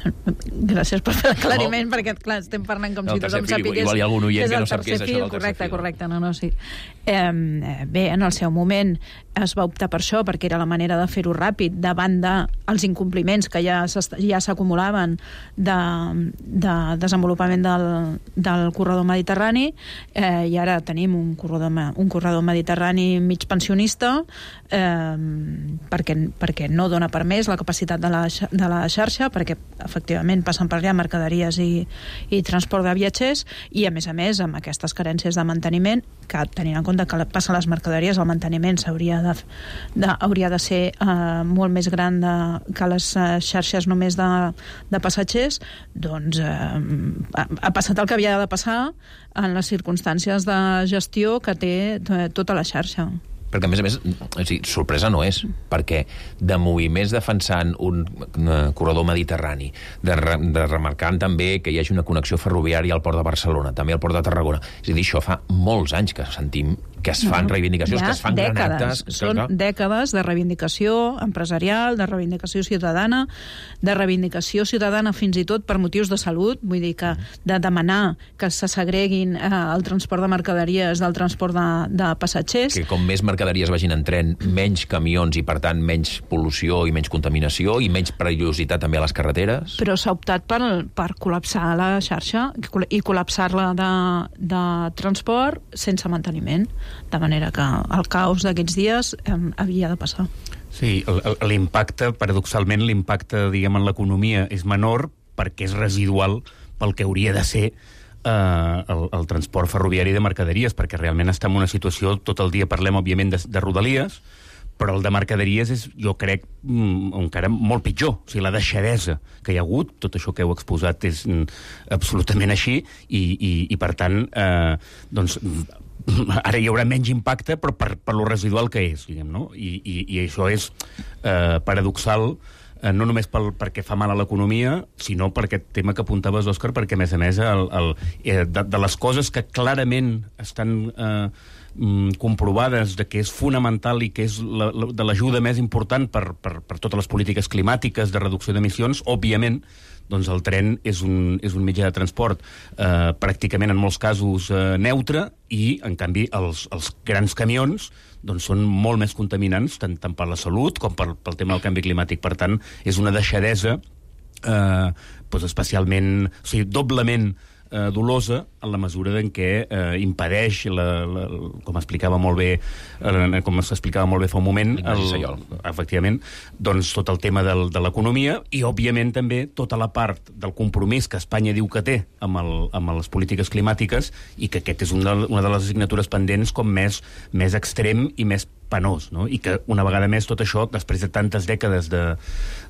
Gràcies per fer l'aclariment, perquè, clar, estem parlant com si tothom sapigués... Igual hi ha algun oient que no sap què és això del tercer fil. Correcte, no, sí. Bé, en el seu moment es va optar per això, perquè era la manera de fer-ho ràpid, davant dels incompliments que ja s'acumulaven de desenvolupament del corredor mediterrani, i ara tenim un corredor mediterrani mig pensionista, perquè no dona per més la capacitat de la xarxa, perquè efectivament passen per allà mercaderies i transport de viatgers, i a més, amb aquestes carències de manteniment, que tenint en compte que passen les mercaderies, el manteniment hauria de ser molt més gran que les xarxes només de passatgers, doncs ha passat el que havia de passar en les circumstàncies de gestió que té tota la xarxa. Perquè, a més, sorpresa no és, perquè de moviments defensant un corredor mediterrani, de remarcant també que hi hagi una connexió ferroviària al port de Barcelona, també al port de Tarragona. És a dir, això fa molts anys que sentim que es fan reivindicacions, que es fan gran actes... Són dècades de reivindicació empresarial, de reivindicació ciutadana, de reivindicació ciutadana fins i tot per motius de salut, vull dir que de demanar que se segreguin el transport de mercaderies del transport de passatgers. Que com més mercaderies vagin en tren, menys camions i, per tant, menys pol·lució i menys contaminació i menys perillositat també a les carreteres. Però s'ha optat per col·lapsar la xarxa i col·lapsar-la de transport sense manteniment, de manera que el caos d'aquests dies havia de passar. Sí, l'impacte, paradoxalment, diguem, en l'economia és menor perquè és residual pel que hauria de ser el transport ferroviari de mercaderies, perquè realment està en una situació, tot el dia parlem, òbviament, de rodalies, però el de mercaderies és, jo crec, encara molt pitjor. O sigui, la deixadesa que hi ha hagut, tot això que heu exposat és absolutament així, i per tant, doncs, ara hi haurà menys impacte, però per lo residual que és, diguem, no? I això és paradoxal, no només perquè fa mal a l'economia, sinó per aquest tema que apuntaves, Òscar, perquè, a més, de les coses que clarament estan comprovades de que és fonamental i que és de l'ajuda més important per totes les polítiques climàtiques de reducció d'emissions, òbviament, doncs el tren és un mitjà de transport pràcticament en molts casos neutre, i en canvi els grans camions doncs són molt més contaminants tant per la salut com pel tema del canvi climàtic. Per tant, és una deixadesa especialment, o sigui, doblement dolosa en la mesura en què impedeix, com explicava molt bé, com s'explicava molt bé fa un moment, efectivament, doncs tot el tema de l'economia i, òbviament, també tota la part del compromís que Espanya diu que té amb les polítiques climàtiques, i que aquest és una de les assignatures pendents com més extrem i més penós, no? I que, una vegada més, tot això, després de tantes dècades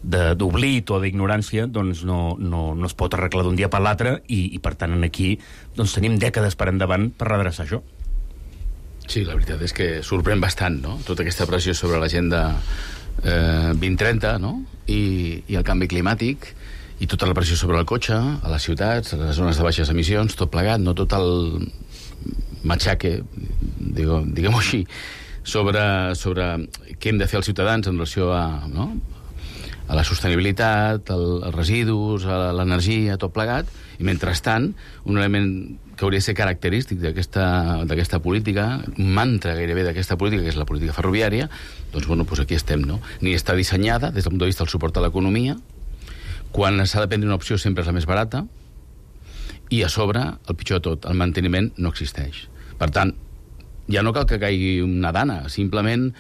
d'oblit o d'ignorància, doncs no es pot arreglar d'un dia per l'altre, i per tant, aquí doncs tenim dècades per endavant per redreçar això. Sí, la veritat és que sorprèn bastant, no?, tota aquesta pressió sobre l'agenda 2030, no?, i el canvi climàtic, i tota la pressió sobre el cotxe, a les ciutats, a les zones de baixes emissions, tot plegat, no, tot el matxaque, diguem-ho així, sobre què hem de fer els ciutadans en relació a la sostenibilitat, als residus, a l'energia, tot plegat, i mentrestant, un element que hauria de ser característic d'aquesta política, un mantra gairebé d'aquesta política, que és la política ferroviària, doncs aquí estem, no? Ni està dissenyada des del punt de vista del suport a l'economia, quan s'ha de prendre una opció sempre és la més barata, i a sobre, el pitjor de tot, el manteniment no existeix. Per tant, ja no cal que caigui una dana, simplement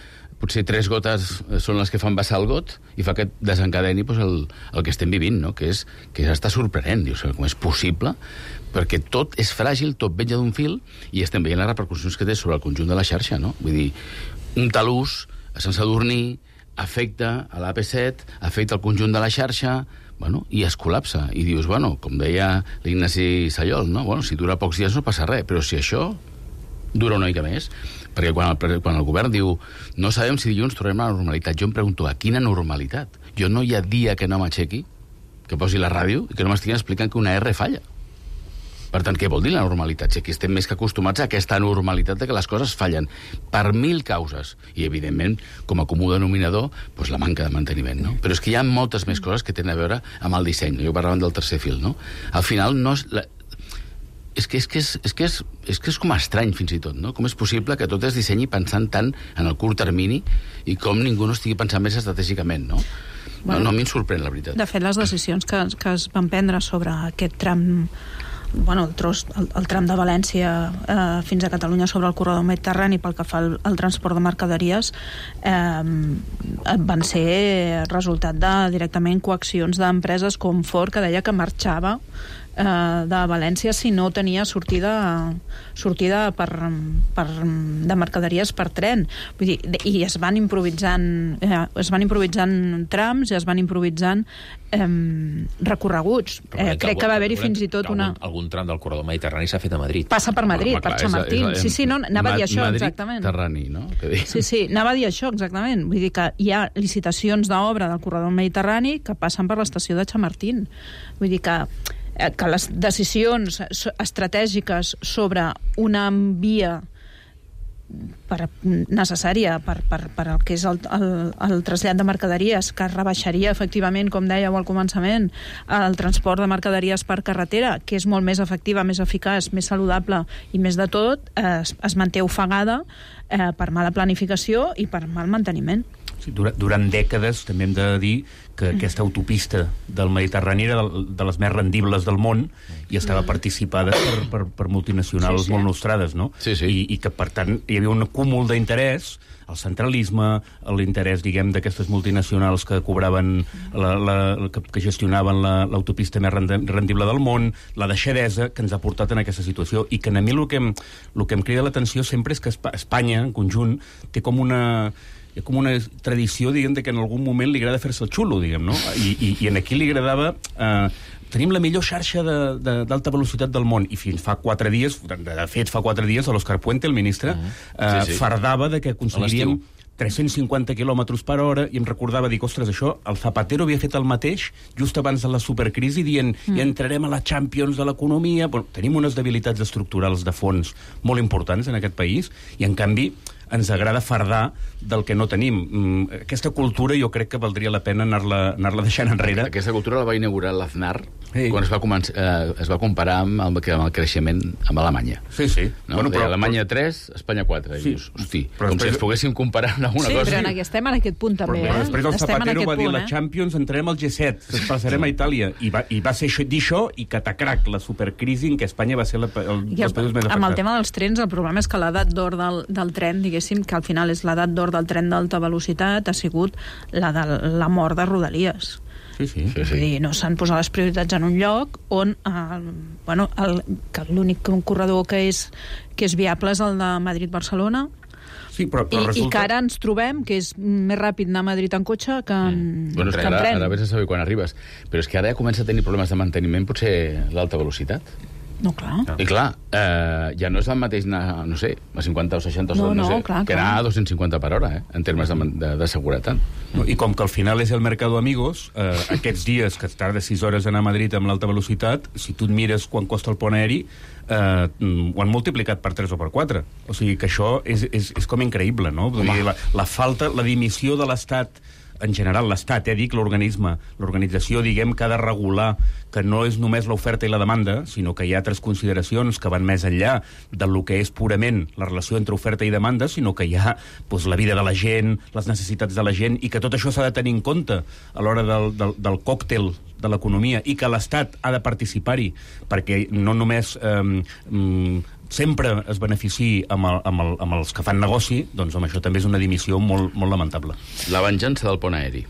potser 3 gotes són les que fan vessar el got i fa que desencadeni el que estem vivint, no? que està sorprenent. Dius, com és possible? Perquè tot és fràgil, tot venja d'un fil, i estem veient les repercussions que té sobre el conjunt de la xarxa, no? Vull dir, un talús a Sant Sadurní afecta a l'AP7, afecta el conjunt de la xarxa, i es col·lapsa. I dius, com deia l'Ignasi Sallol, no? Si dura pocs dies no passa res, però si això dura una mica més, perquè quan el govern diu no sabem si dilluns tornem a la normalitat, jo em pregunto, a quina normalitat? Jo no hi ha dia que no m'aixequi, que posi la ràdio i que no m'estiguin explicant que una R falla. Per tant, què vol dir la normalitat? Si aquí estem més que acostumats a aquesta normalitat de que les coses fallen per 1000 causes. I, evidentment, com a comú denominador, la manca de manteniment, no? Però és que hi ha moltes més coses que tenen a veure amb el disseny. Jo parlava del tercer fil, no? Al final, no és... És que és com estrany, fins i tot, no? Com és possible que tot es dissenyi pensant tant en el curt termini i com ningú no estigui pensant més estratègicament, no? No, a mi em sorprèn, la veritat. De fet, les decisions que es van prendre sobre aquest tram, el tram de València fins a Catalunya sobre el corredor mediterrani pel que fa al transport de mercaderies van ser resultat de directament coaccions d'empreses com Ford, que deia que marxava de València si no tenia sortida de mercaderies per tren. Vull dir, i es van improvisant trams i es van improvisant recorreguts. Crec que va haver-hi fins i tot algun tram del corredor mediterrani s'ha fet a Madrid. Passa per Madrid, per Chamartín. Sí, no, anava a dir això, exactament. Madrid-Terrani, no? Sí, anava a dir això, exactament. Vull dir que hi ha licitacions d'obra del corredor mediterrani que passen per l'estació de Chamartín. Vull dir que les decisions estratègiques sobre una via necessària per el que és el trasllat de mercaderies, que rebaixaria efectivament, com dèieu al començament, el transport de mercaderies per carretera, que és molt més efectiva, més eficaç, més saludable i més de tot, es manté ofegada per mala planificació i per mal manteniment. Sí, durant dècades també hem de dir que aquesta autopista del Mediterrani era de les més rendibles del món i estava participada per multinacionals molt nostrades, no? I que, per tant, hi havia un cúmul d'interès, el centralisme, l'interès, diguem, d'aquestes multinacionals que cobraven, que gestionaven l'autopista més rendible del món, la deixadesa que ens ha portat en aquesta situació, i que a mi el que em crida l'atenció sempre és que Espanya, en conjunt, té com una tradició, diguem, que en algun moment li agrada fer-se el xulo, diguem, no? I aquí li agradava... Tenim la millor xarxa d'alta velocitat del món, i fins fa 4 dies, de fet fa 4 dies, l'Òscar Puente, el ministre, fardava de que aconseguiríem 350 km per hora, i em recordava, dic, ostres, això, el Zapatero havia fet el mateix just abans de la supercrisi, dient, ja entrarem a la Champions de l'economia. Tenim unes debilitats estructurals de fons molt importants en aquest país, i en canvi ens agrada fardar del que no tenim. Aquesta cultura jo crec que valdria la pena anar-la deixant enrere. Aquesta cultura la va inaugurar l'Aznar quan es va comparar amb el creixement amb Alemanya. Sí. No? Però Alemanya 3, Espanya 4. I dius, hosti, com si ens poguéssim comparar amb alguna cosa. Sí, però estem en aquest punt també. Però després el Zapatero va dir la Champions, entrarem al G7, ens passarem a Itàlia. I va ser dir això i catacrac, la supercrisi en què Espanya va ser els països més afectats. Amb el tema dels trens, el problema és que l'edat d'or del tren, diguéssim, que al final és l'edat d'or del tren d'alta velocitat, ha sigut la de la mort de Rodalies. Sí. Vull dir, no s'han posat les prioritats en un lloc on que l'únic corredor que és viable és el de Madrid-Barcelona. Sí, però resulta... I que ara ens trobem que és més ràpid anar a Madrid en cotxe que en tren. Ara vés a saber quan arribes. Però és que ara ja comença a tenir problemes de manteniment, potser l'alta velocitat. No, clar. I clar, ja no és el mateix anar, no sé, a 50 o 60 o no sé, clar, que anar a 250 per hora, en termes de seguretat. No, i com que al final és el mercado amigos, aquests dies que tarda 6 hores anar a Madrid amb l'alta velocitat, si tu et mires quan costa el pont aeri, ho han multiplicat per 3 o per 4. O sigui que això és com increïble, no? Vull dir, la falta, la dimissió de l'Estat, en general l'Estat, dic l'organisme, l'organització, diguem, que ha de regular que no és només l'oferta i la demanda, sinó que hi ha altres consideracions que van més enllà del que és purament la relació entre oferta i demanda, sinó que hi ha la vida de la gent, les necessitats de la gent, i que tot això s'ha de tenir en compte a l'hora del còctel de l'economia, i que l'Estat ha de participar-hi, perquè no només sempre es beneficiï amb els que fan negoci, doncs amb això també és una dimissió molt, molt lamentable. La venjança del pont aeri.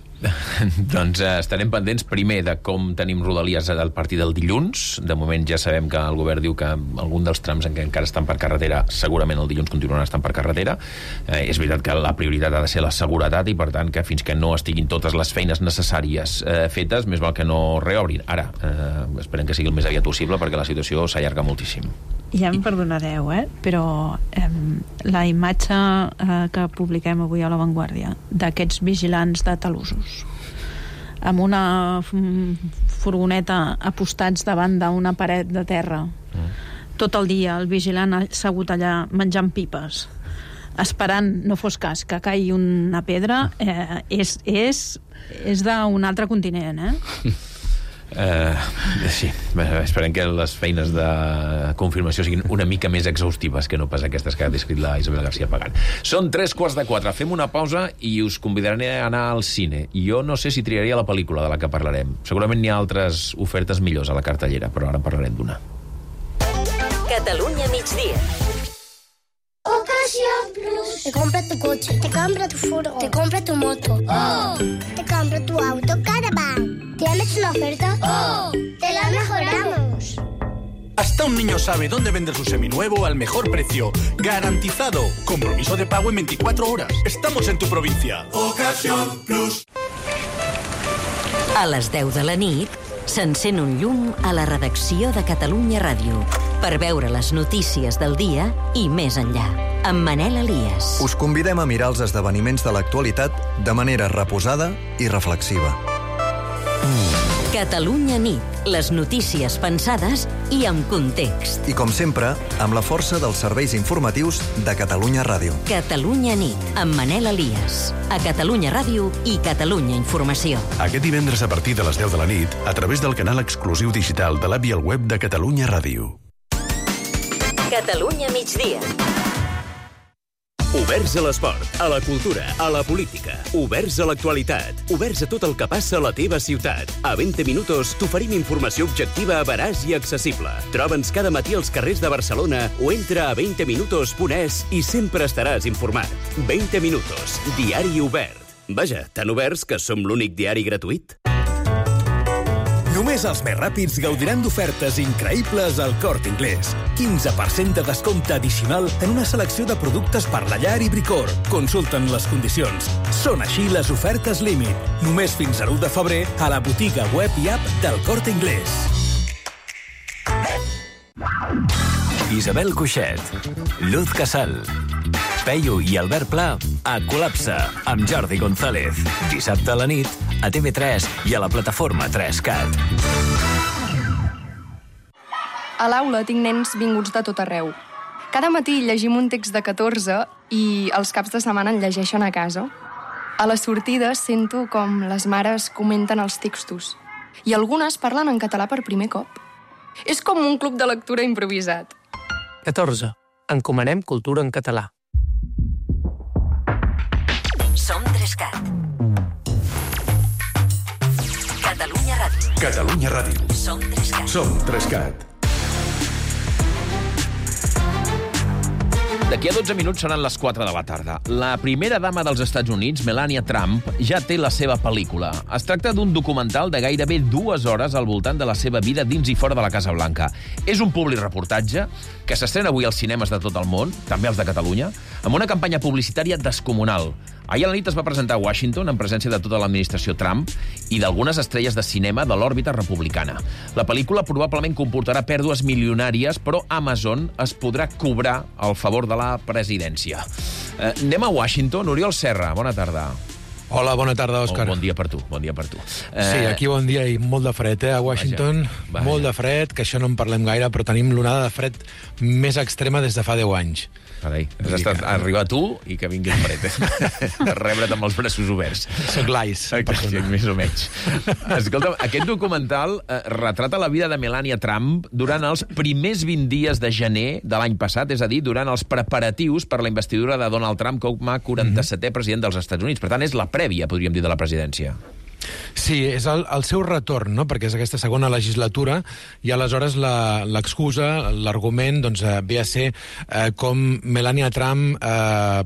Doncs estarem pendents primer de com tenim Rodalies a partir del dilluns. De moment ja sabem que el govern diu que algun dels trams en què encara estan per carretera segurament el dilluns continuaran estant per carretera. És veritat que la prioritat ha de ser la seguretat i per tant que fins que no estiguin totes les feines necessàries fetes, més val que no reobrin. Ara, esperem que sigui el més aviat possible perquè la situació s'allarga moltíssim. Ja em perdonareu, però la imatge que publiquem avui a La Vanguardia d'aquests vigilants de talussos amb una furgoneta apostats davant d'una paret de terra tot el dia, el vigilant assegut allà menjant pipes esperant, no fos cas, que caigui una pedra, és d'un altre continent, Sí, esperem que les feines de confirmació siguin una mica més exhaustives que no pas aquestes que ha descrit la Isabel García Pagán. Són 3:45, fem una pausa i us convidaré a anar al cine. Jo no sé si triaria la pel·lícula de la que parlarem. Segurament n'hi ha altres ofertes millors a la cartellera, però ara en parlarem d'una. Catalunya migdia. Ocasión Plus. Te compra tu coche, te compra tu furgo, te compra tu moto. ¡Oh! Te compra tu auto Caravan. ¿Tienes una oferta? ¡Oh! ¡Te la mejoramos! Hasta un niño sabe dónde vender su seminuevo al mejor precio. ¡Garantizado! Compromiso de pago en 24 horas. Estamos en tu provincia. Ocasión Plus. A les 10 de la nit s'encén un llum a la redacció de Catalunya Ràdio per veure les notícies del dia i més enllà. Amb Manel Elias. Us convidem a mirar els esdeveniments de l'actualitat de manera reposada i reflexiva. Catalunya nit. Les notícies pensades i amb context. I, com sempre, amb la força dels serveis informatius de Catalunya Ràdio. Catalunya nit, amb Manel Elias. A Catalunya Ràdio i Catalunya Informació. Aquest divendres a partir de les 10 de la nit, a través del canal exclusiu digital de l'app i el web de Catalunya Ràdio. Catalunya migdia. Oberts a l'esport, a la cultura, a la política. Oberts a l'actualitat. Oberts a tot el que passa a la teva ciutat. A 20 minuts t'oferim informació objectiva, veraç i accessible. Troba'ns cada matí als carrers de Barcelona o entra a 20minutos.es i sempre estaràs informat. 20 minutos, diari obert. Vaja, tan oberts que som l'únic diari gratuït. Només els més ràpids gaudiran d'ofertes increïbles al Corte Inglés. 15% de descompte addicional en una selecció de productes per la llar i bricor. Consulten les condicions. Són així les ofertes límit. Només fins a l'1 de febrer a la botiga web i app del Corte Inglés. Isabel Cuixet, Luz Casal, Peyu i Albert Pla a Col·lapse amb Jordi González. Dissabte a la nit a TV3 i a la plataforma 3CAT. A l'aula tinc nens vinguts de tot arreu. Cada matí llegim un text de 14 i els caps de setmana en llegeixen a casa. A les sortides sento com les mares comenten els textos i algunes parlen en català per primer cop. És com un club de lectura improvisat. 14. Encomanem cultura en català. Som 3CAT. Catalunya Ràdio. Catalunya Ràdio. Som 3CAT. Som 3CAT. D'aquí a 12 minuts seran les 4 de la tarda. La primera dama dels Estats Units, Melania Trump, ja té la seva pel·lícula. Es tracta d'un documental de gairebé 2 hores al voltant de la seva vida dins i fora de la Casa Blanca. És un public reportatge que s'estrena avui als cinemes de tot el món, també els de Catalunya, amb una campanya publicitària descomunal. Ahir a la nit es va presentar a Washington en presència de tota l'administració Trump i d'algunes estrelles de cinema de l'òrbita republicana. La pel·lícula probablement comportarà pèrdues milionàries, però Amazon es podrà cobrar al favor de la presidència. Anem a Washington. Oriol Serra, bona tarda. Hola, bona tarda, Òscar. Bon dia per tu, bon dia per tu. Sí, aquí bon dia i molt de fred, a Washington. Vaja. Molt de fred, que això no en parlem gaire, però tenim l'onada de fred més extrema des de fa 10 anys. Carai, has estat a arribar tu i que vingui el fred. A rebre't amb els braços oberts. Soc l'Ais. Més o menys. Escolta'm, aquest documental retrata la vida de Melania Trump durant els primers 20 dies de gener de l'any passat, és a dir, durant els preparatius per la investidura de Donald Trump com a 47è president dels Estats Units. Per tant, és la prèvia, podríem dir, de la presidència. Sí, és el seu retorn, no? Perquè és aquesta segona legislatura i aleshores l'excusa, l'argument, doncs, ve a ser com Melania Trump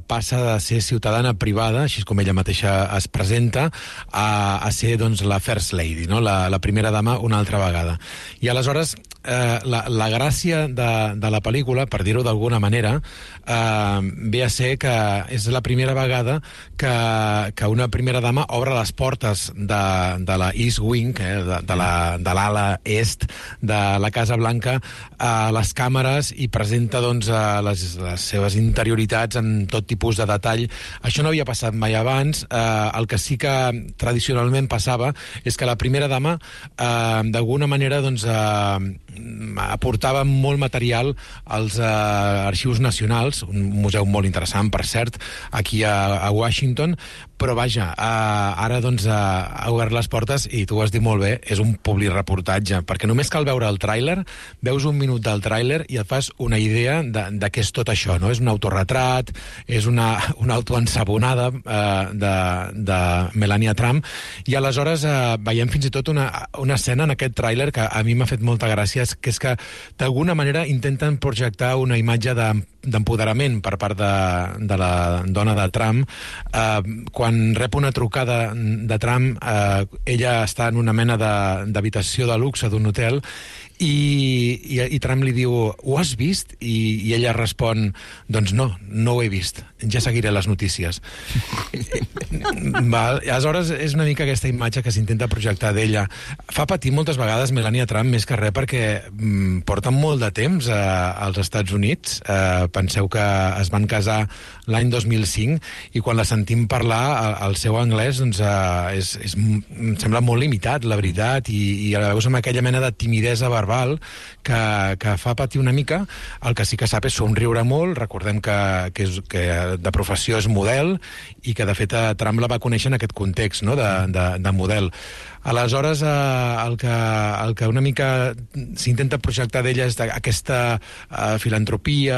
passa de ser ciutadana privada, així com ella mateixa es presenta, a ser doncs, la First Lady, no? La primera dama una altra vegada. I aleshores la gràcia de la pel·lícula, per dir-ho d'alguna manera, ve a ser que és la primera vegada que una primera dama obre les portes de la East Wing, de l'ala est de la Casa Blanca, a les càmeres i presenta doncs, les seves interioritats en tot tipus de detall. Això no havia passat mai abans. El que sí que tradicionalment passava és que la primera dama d'alguna manera doncs, aportava molt material als arxius nacionals, un museu molt interessant, per cert, aquí a Washington, però vaja, ara doncs ha obert les portes i tu ho has dit molt bé, és un publireportatge, perquè només cal veure el tràiler, veus un minut del tràiler i et fas una idea de què és tot això, no? És un autorretrat, és una autoensabonada de Melania Trump, i aleshores veiem fins i tot una escena en aquest tràiler que a mi m'ha fet molta gràcia, que és que d'alguna manera intenten projectar una imatge d'empoderament per part de la dona de Trump. Quan rep una trucada de Trump, ella està en una mena d'habitació de luxe d'un hotel i Trump li diu, ho has vist? I ella respon, doncs no ho he vist, ja seguiré les notícies. Aleshores és una mica aquesta imatge que s'intenta projectar d'ella. Fa patir moltes vegades Melania Trump, més que res perquè porta molt de temps als Estats Units. Penseu que es van casar l'any 2005 i quan la sentim parlar el seu anglès doncs, em sembla molt limitat, la veritat, i la veus amb aquella mena de timidesa verbal que fa patir una mica. El que sí que sap és somriure molt. Recordem que de professió és model i que de fet Trump la va conèixer en aquest context, no? de model. Aleshores, el que una mica s'intenta projectar d'ella és aquesta filantropia,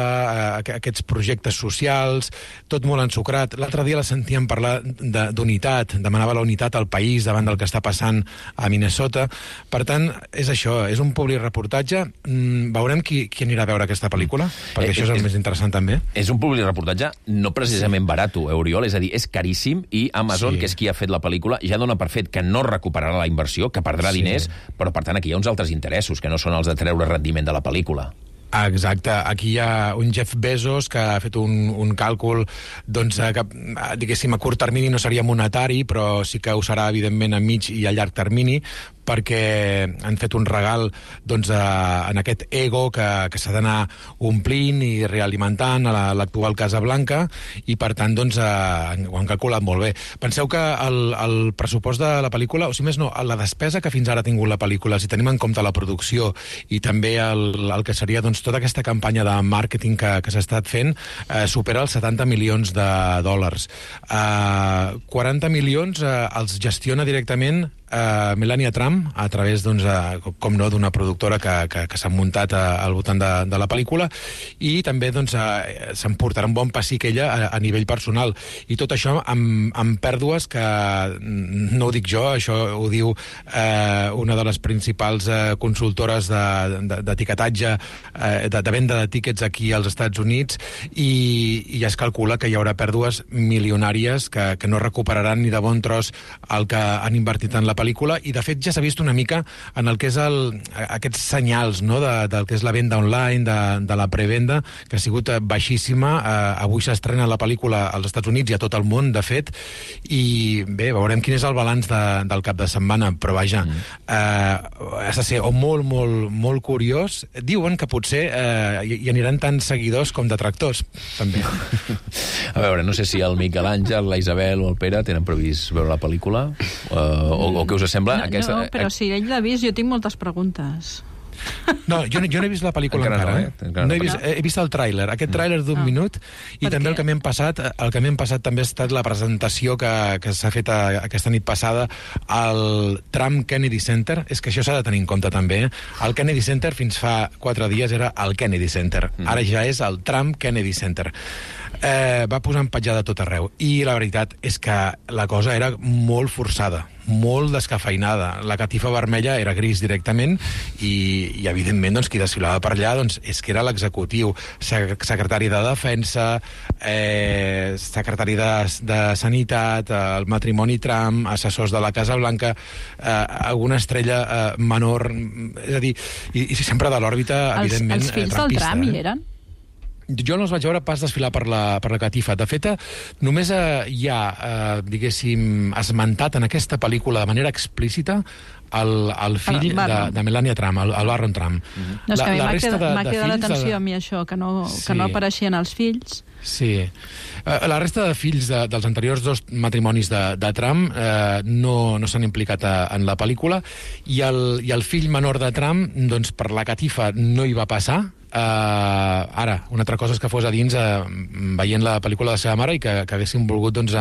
aquests projectes socials, tot molt ensucrat. L'altre dia la sentíem parlar d'unitat, demanava la unitat al país davant del que està passant a Minnesota. Per tant, és això, és un publireportatge. Veurem qui anirà a veure aquesta pel·lícula, perquè això és el més interessant també. És un publireportatge no precisament barato, Oriol, és a dir, és caríssim, i Amazon, que és qui ha fet la pel·lícula, ja dona per fet que no recuperarà la inversió, que perdrà diners, però per tant aquí hi ha uns altres interessos, que no són els de treure rendiment de la pel·lícula. Exacte, aquí hi ha un Jeff Bezos que ha fet un càlcul doncs, que, diguéssim, a curt termini no seria monetari, però sí que ho serà, evidentment, a mig i a llarg termini, perquè han fet un regal doncs, en aquest ego que s'ha d'anar omplint i realimentant a l'actual Casa Blanca, i per tant doncs, ho han calculat molt bé. Penseu que el pressupost de la pel·lícula, o si més no, la despesa que fins ara ha tingut la pel·lícula, si tenim en compte la producció i també el que seria doncs, tota aquesta campanya de màrqueting que s'ha estat fent, supera els 70 milions de dòlars. 40 milions els gestiona directament Melania Trump, a través, doncs, com no, d'una productora que s'ha muntat al voltant de la pel·lícula, i també doncs, s'emportarà un bon pessic ella a nivell personal. I tot això amb pèrdues que, no ho dic jo, això ho diu una de les principals consultores d'etiquetatge, de venda de tíquets aquí als Estats Units, i ja es calcula que hi haurà pèrdues milionàries que no recuperaran ni de bon tros el que han invertit en la pel·lícula, i de fet ja s'ha vist una mica en el que és aquests senyals, no? del que és la venda online, de la prevenda, que ha sigut baixíssima. Avui s'estrena la pel·lícula als Estats Units i a tot el món, de fet, i bé, veurem quin és el balanç del cap de setmana, però vaja, has de ser molt, molt, molt curiós. Diuen que potser hi aniran tants seguidors com detractors, també. A veure, no sé si el Miquel Àngel, la Isabel o el Pere tenen previst veure la pel·lícula, o què us sembla? No, però si ell l'ha vist, jo tinc moltes preguntes. No, jo no he vist la pel·lícula encara. He vist el tràiler, aquest tràiler d'un minut, i també el que m'hem passat també ha estat la presentació que s'ha fet aquesta nit passada al Trump Kennedy Center. És que això s'ha de tenir en compte també. El Kennedy Center fins fa 4 dies era el Kennedy Center. Ara ja és el Trump Kennedy Center. va posar empatjada a tot arreu. I la veritat és que la cosa era molt forçada, molt descafeinada. La catifa vermella era gris directament i evidentment, doncs, qui desfilava per allà doncs, és que era l'executiu, secretari de Defensa, secretari de Sanitat, el matrimoni Trump, assessors de la Casa Blanca, alguna estrella menor, és a dir, i sempre de l'òrbita, evidentment, els fills del Trump hi eren? Jo no els vaig veure pas desfilar per la catifa. De fet, només hi ha, diguéssim, esmentat en aquesta pel·lícula de manera explícita el fill de Melania Trump, el Barron Trump. No, és que a mi m'ha quedat l'atenció a mi això, que no apareixien els fills. Sí. La resta de fills dels anteriors dos matrimonis de Trump no s'han implicat en la pel·lícula i el fill menor de Trump, doncs, per la catifa no hi va passar. Ara, una altra cosa és que fos a dins veient la pel·lícula de la seva mare i que haguéssim volgut, doncs,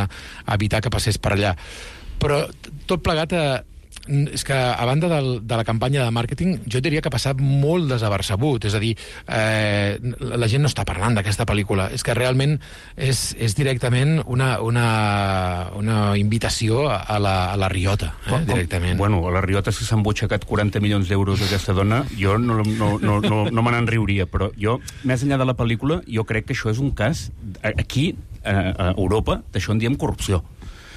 evitar que passés per allà. Però tot plegat és que a banda de la campanya de màrqueting, jo diria que ha passat molt desapercebut. És a dir, la gent no està parlant d'aquesta pel·lícula. És que realment és directament una invitació a la riota, directament. Bueno, a la riota, si s'han butxacat 40 milions d'euros d'aquesta dona, jo no me n'enriuria, però jo, més enllà de la pel·lícula, jo crec que això és un cas, aquí, a Europa, d'això en diem corrupció.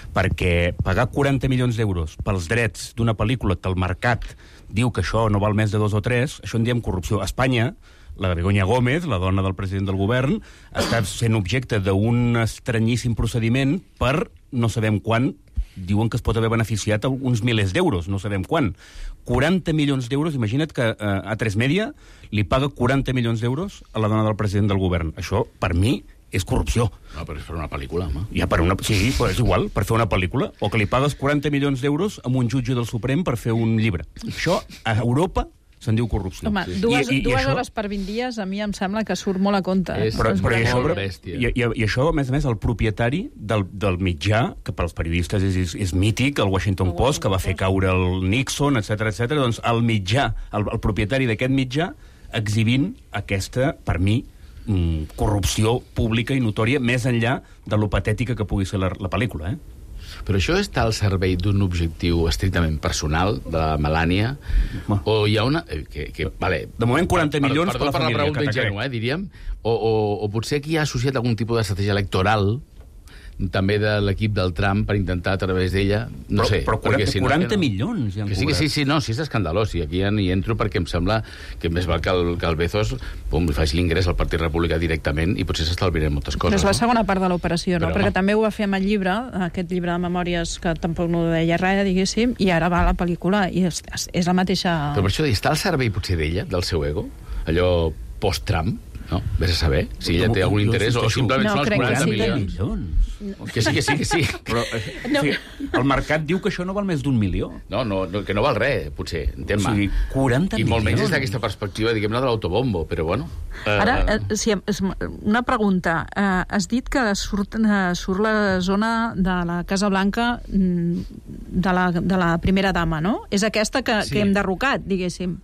Perquè pagar 40 milions d'euros pels drets d'una pel·lícula que el mercat diu que això no val més de 2 o 3, això en diem corrupció. A Espanya, la Begoña Gómez, la dona del president del govern, està sent objecte d'un estranyíssim procediment per no sabem quan, diuen que es pot haver beneficiat uns milers d'euros, no sabem quan. 40 milions d'euros, imagina't que A3 Media li paga 40 milions d'euros a la dona del president del govern. Això, per mi, és corrupció. No, però és per una pel·lícula, home. Ja, sí, però és igual, per fer una pel·lícula. O que li pagues 40 milions d'euros a un jutge del Suprem per fer un llibre. Això, a Europa, se'n diu corrupció. Home, dues hores per 20 dies, a mi em sembla que surt molt a compte. Però això, a més, el propietari del mitjà, que pels periodistes és mític, el Washington Post, que va fer caure el Nixon, etc. Doncs el mitjà, el propietari d'aquest mitjà, exhibint aquesta, per mi, corrupció pública i notòria, més enllà de lo patètica que pugui ser la pel·lícula, Però això està al servei d'un objectiu estrictament personal de la Melania? O hi ha una... vale, de moment 40 milions per la família. Perdó per la pregunta ingènua, diríem. O potser aquí hi ha associat algun tipus d'estratègia electoral també de l'equip del Trump per intentar a través d'ella, no sé... Però 40 milions ja han cobrat. Sí, no, sí és escandalós, i aquí ja hi entro perquè em sembla que més val que el Bezos li faci l'ingrés al Partit Republicà directament i potser s'estalviarem moltes coses. Però és la segona part de l'operació, no? Perquè també ho va fer amb el llibre, aquest llibre de memòries que tampoc no deia res, diguéssim, i ara va a la pel·lícula i és la mateixa... Però per això està al servei potser d'ella, del seu ego, allò post-Trump, no? Vés a saber si ella té algun interès o simplement són els 40 milions. Que sí. Però el mercat diu que això no val més d'1 milió. No, que no val res, potser. O sigui, 40 milions. I molt menys des d'aquesta perspectiva, diguem-ne, de l'autobombo, però bueno. Ara, una pregunta. Has dit que surt la zona de la Casa Blanca de la primera dama, no? És aquesta que hem derrocat, diguéssim.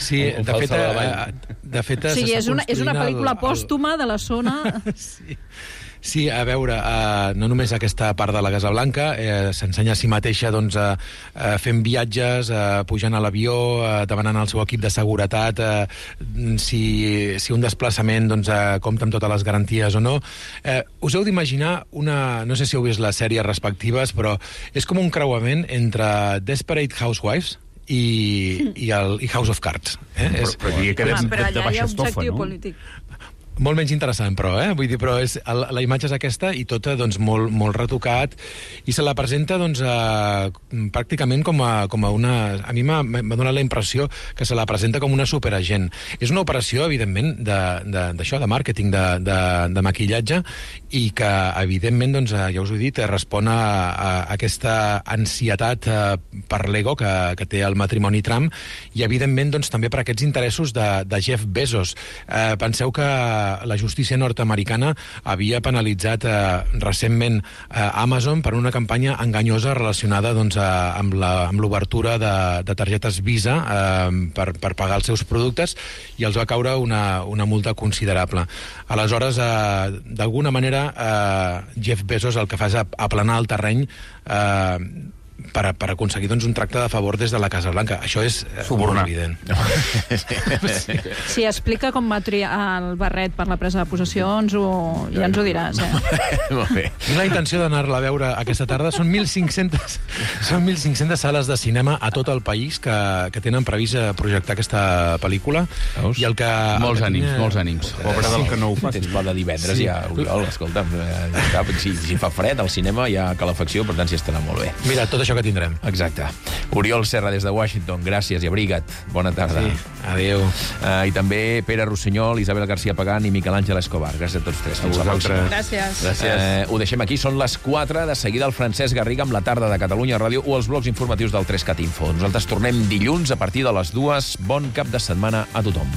Sí, de fet... O sigui, és una pel·lícula pòstuma de la zona... Sí, a veure, no només aquesta part de la Casa Blanca, s'ensenya a si mateixa doncs, fent viatges, pujant a l'avió, demanant al seu equip de seguretat si un desplaçament doncs, compta amb totes les garanties o no. Us heu d'imaginar no sé si heu vist les sèries respectives, però és com un creuament entre Desperate Housewives i House of Cards. Però diria que però allà hi ha objectiu polític. Molt menys interessant, però, vull dir, però la imatge és aquesta i tota, doncs, molt retocat, i se la presenta, doncs, pràcticament com a una... A mi m'ha donat la impressió que se la presenta com una superagent. És una operació, evidentment, d'això, de màrqueting, de maquillatge, i que, evidentment, doncs, ja us ho he dit, respon a aquesta ansietat per l'ego que té el matrimoni Trump, i, evidentment, doncs, també per aquests interessos de Jeff Bezos. Penseu que la justícia nord-americana havia penalitzat recentment Amazon per una campanya enganyosa relacionada doncs, amb l'obertura de targetes Visa per pagar els seus productes, i els va caure una multa considerable. Aleshores, d'alguna manera, Jeff Bezos el que fa és aplanar el terreny per aconseguir doncs, un tracte de favor des de la Casa Blanca. Això és molt evident. Si explica com va triar el barret per la presa de possessió, ja ens ho diràs. Molt bé. La intenció d'anar-la a veure aquesta tarda són 1.500 sales de cinema a tot el país que tenen previst projectar aquesta pel·lícula. I el que... Molts ànims. Pobre del que no ho fa. Tens pla de divendres, ja, Oriol, escolta'm, si fa fred al cinema hi ha calefacció, per tant s'hi estarà molt bé. Mira, tot això que tindrem. Exacte. Oriol Serra des de Washington, gràcies i abriga't. Bona tarda. Sí, adéu. I també Pere Rossinyol, Isabel García Pagán i Miquel Àngel Escobar. Gràcies a tots tres. Fins la pròxima. Gràcies. Ho deixem aquí, són les 4. De seguida el Francesc Garriga amb la tarda de Catalunya Ràdio o els blocs informatius del 3CAT Info. Nosaltres tornem dilluns a partir de les 2. Bon cap de setmana a tothom.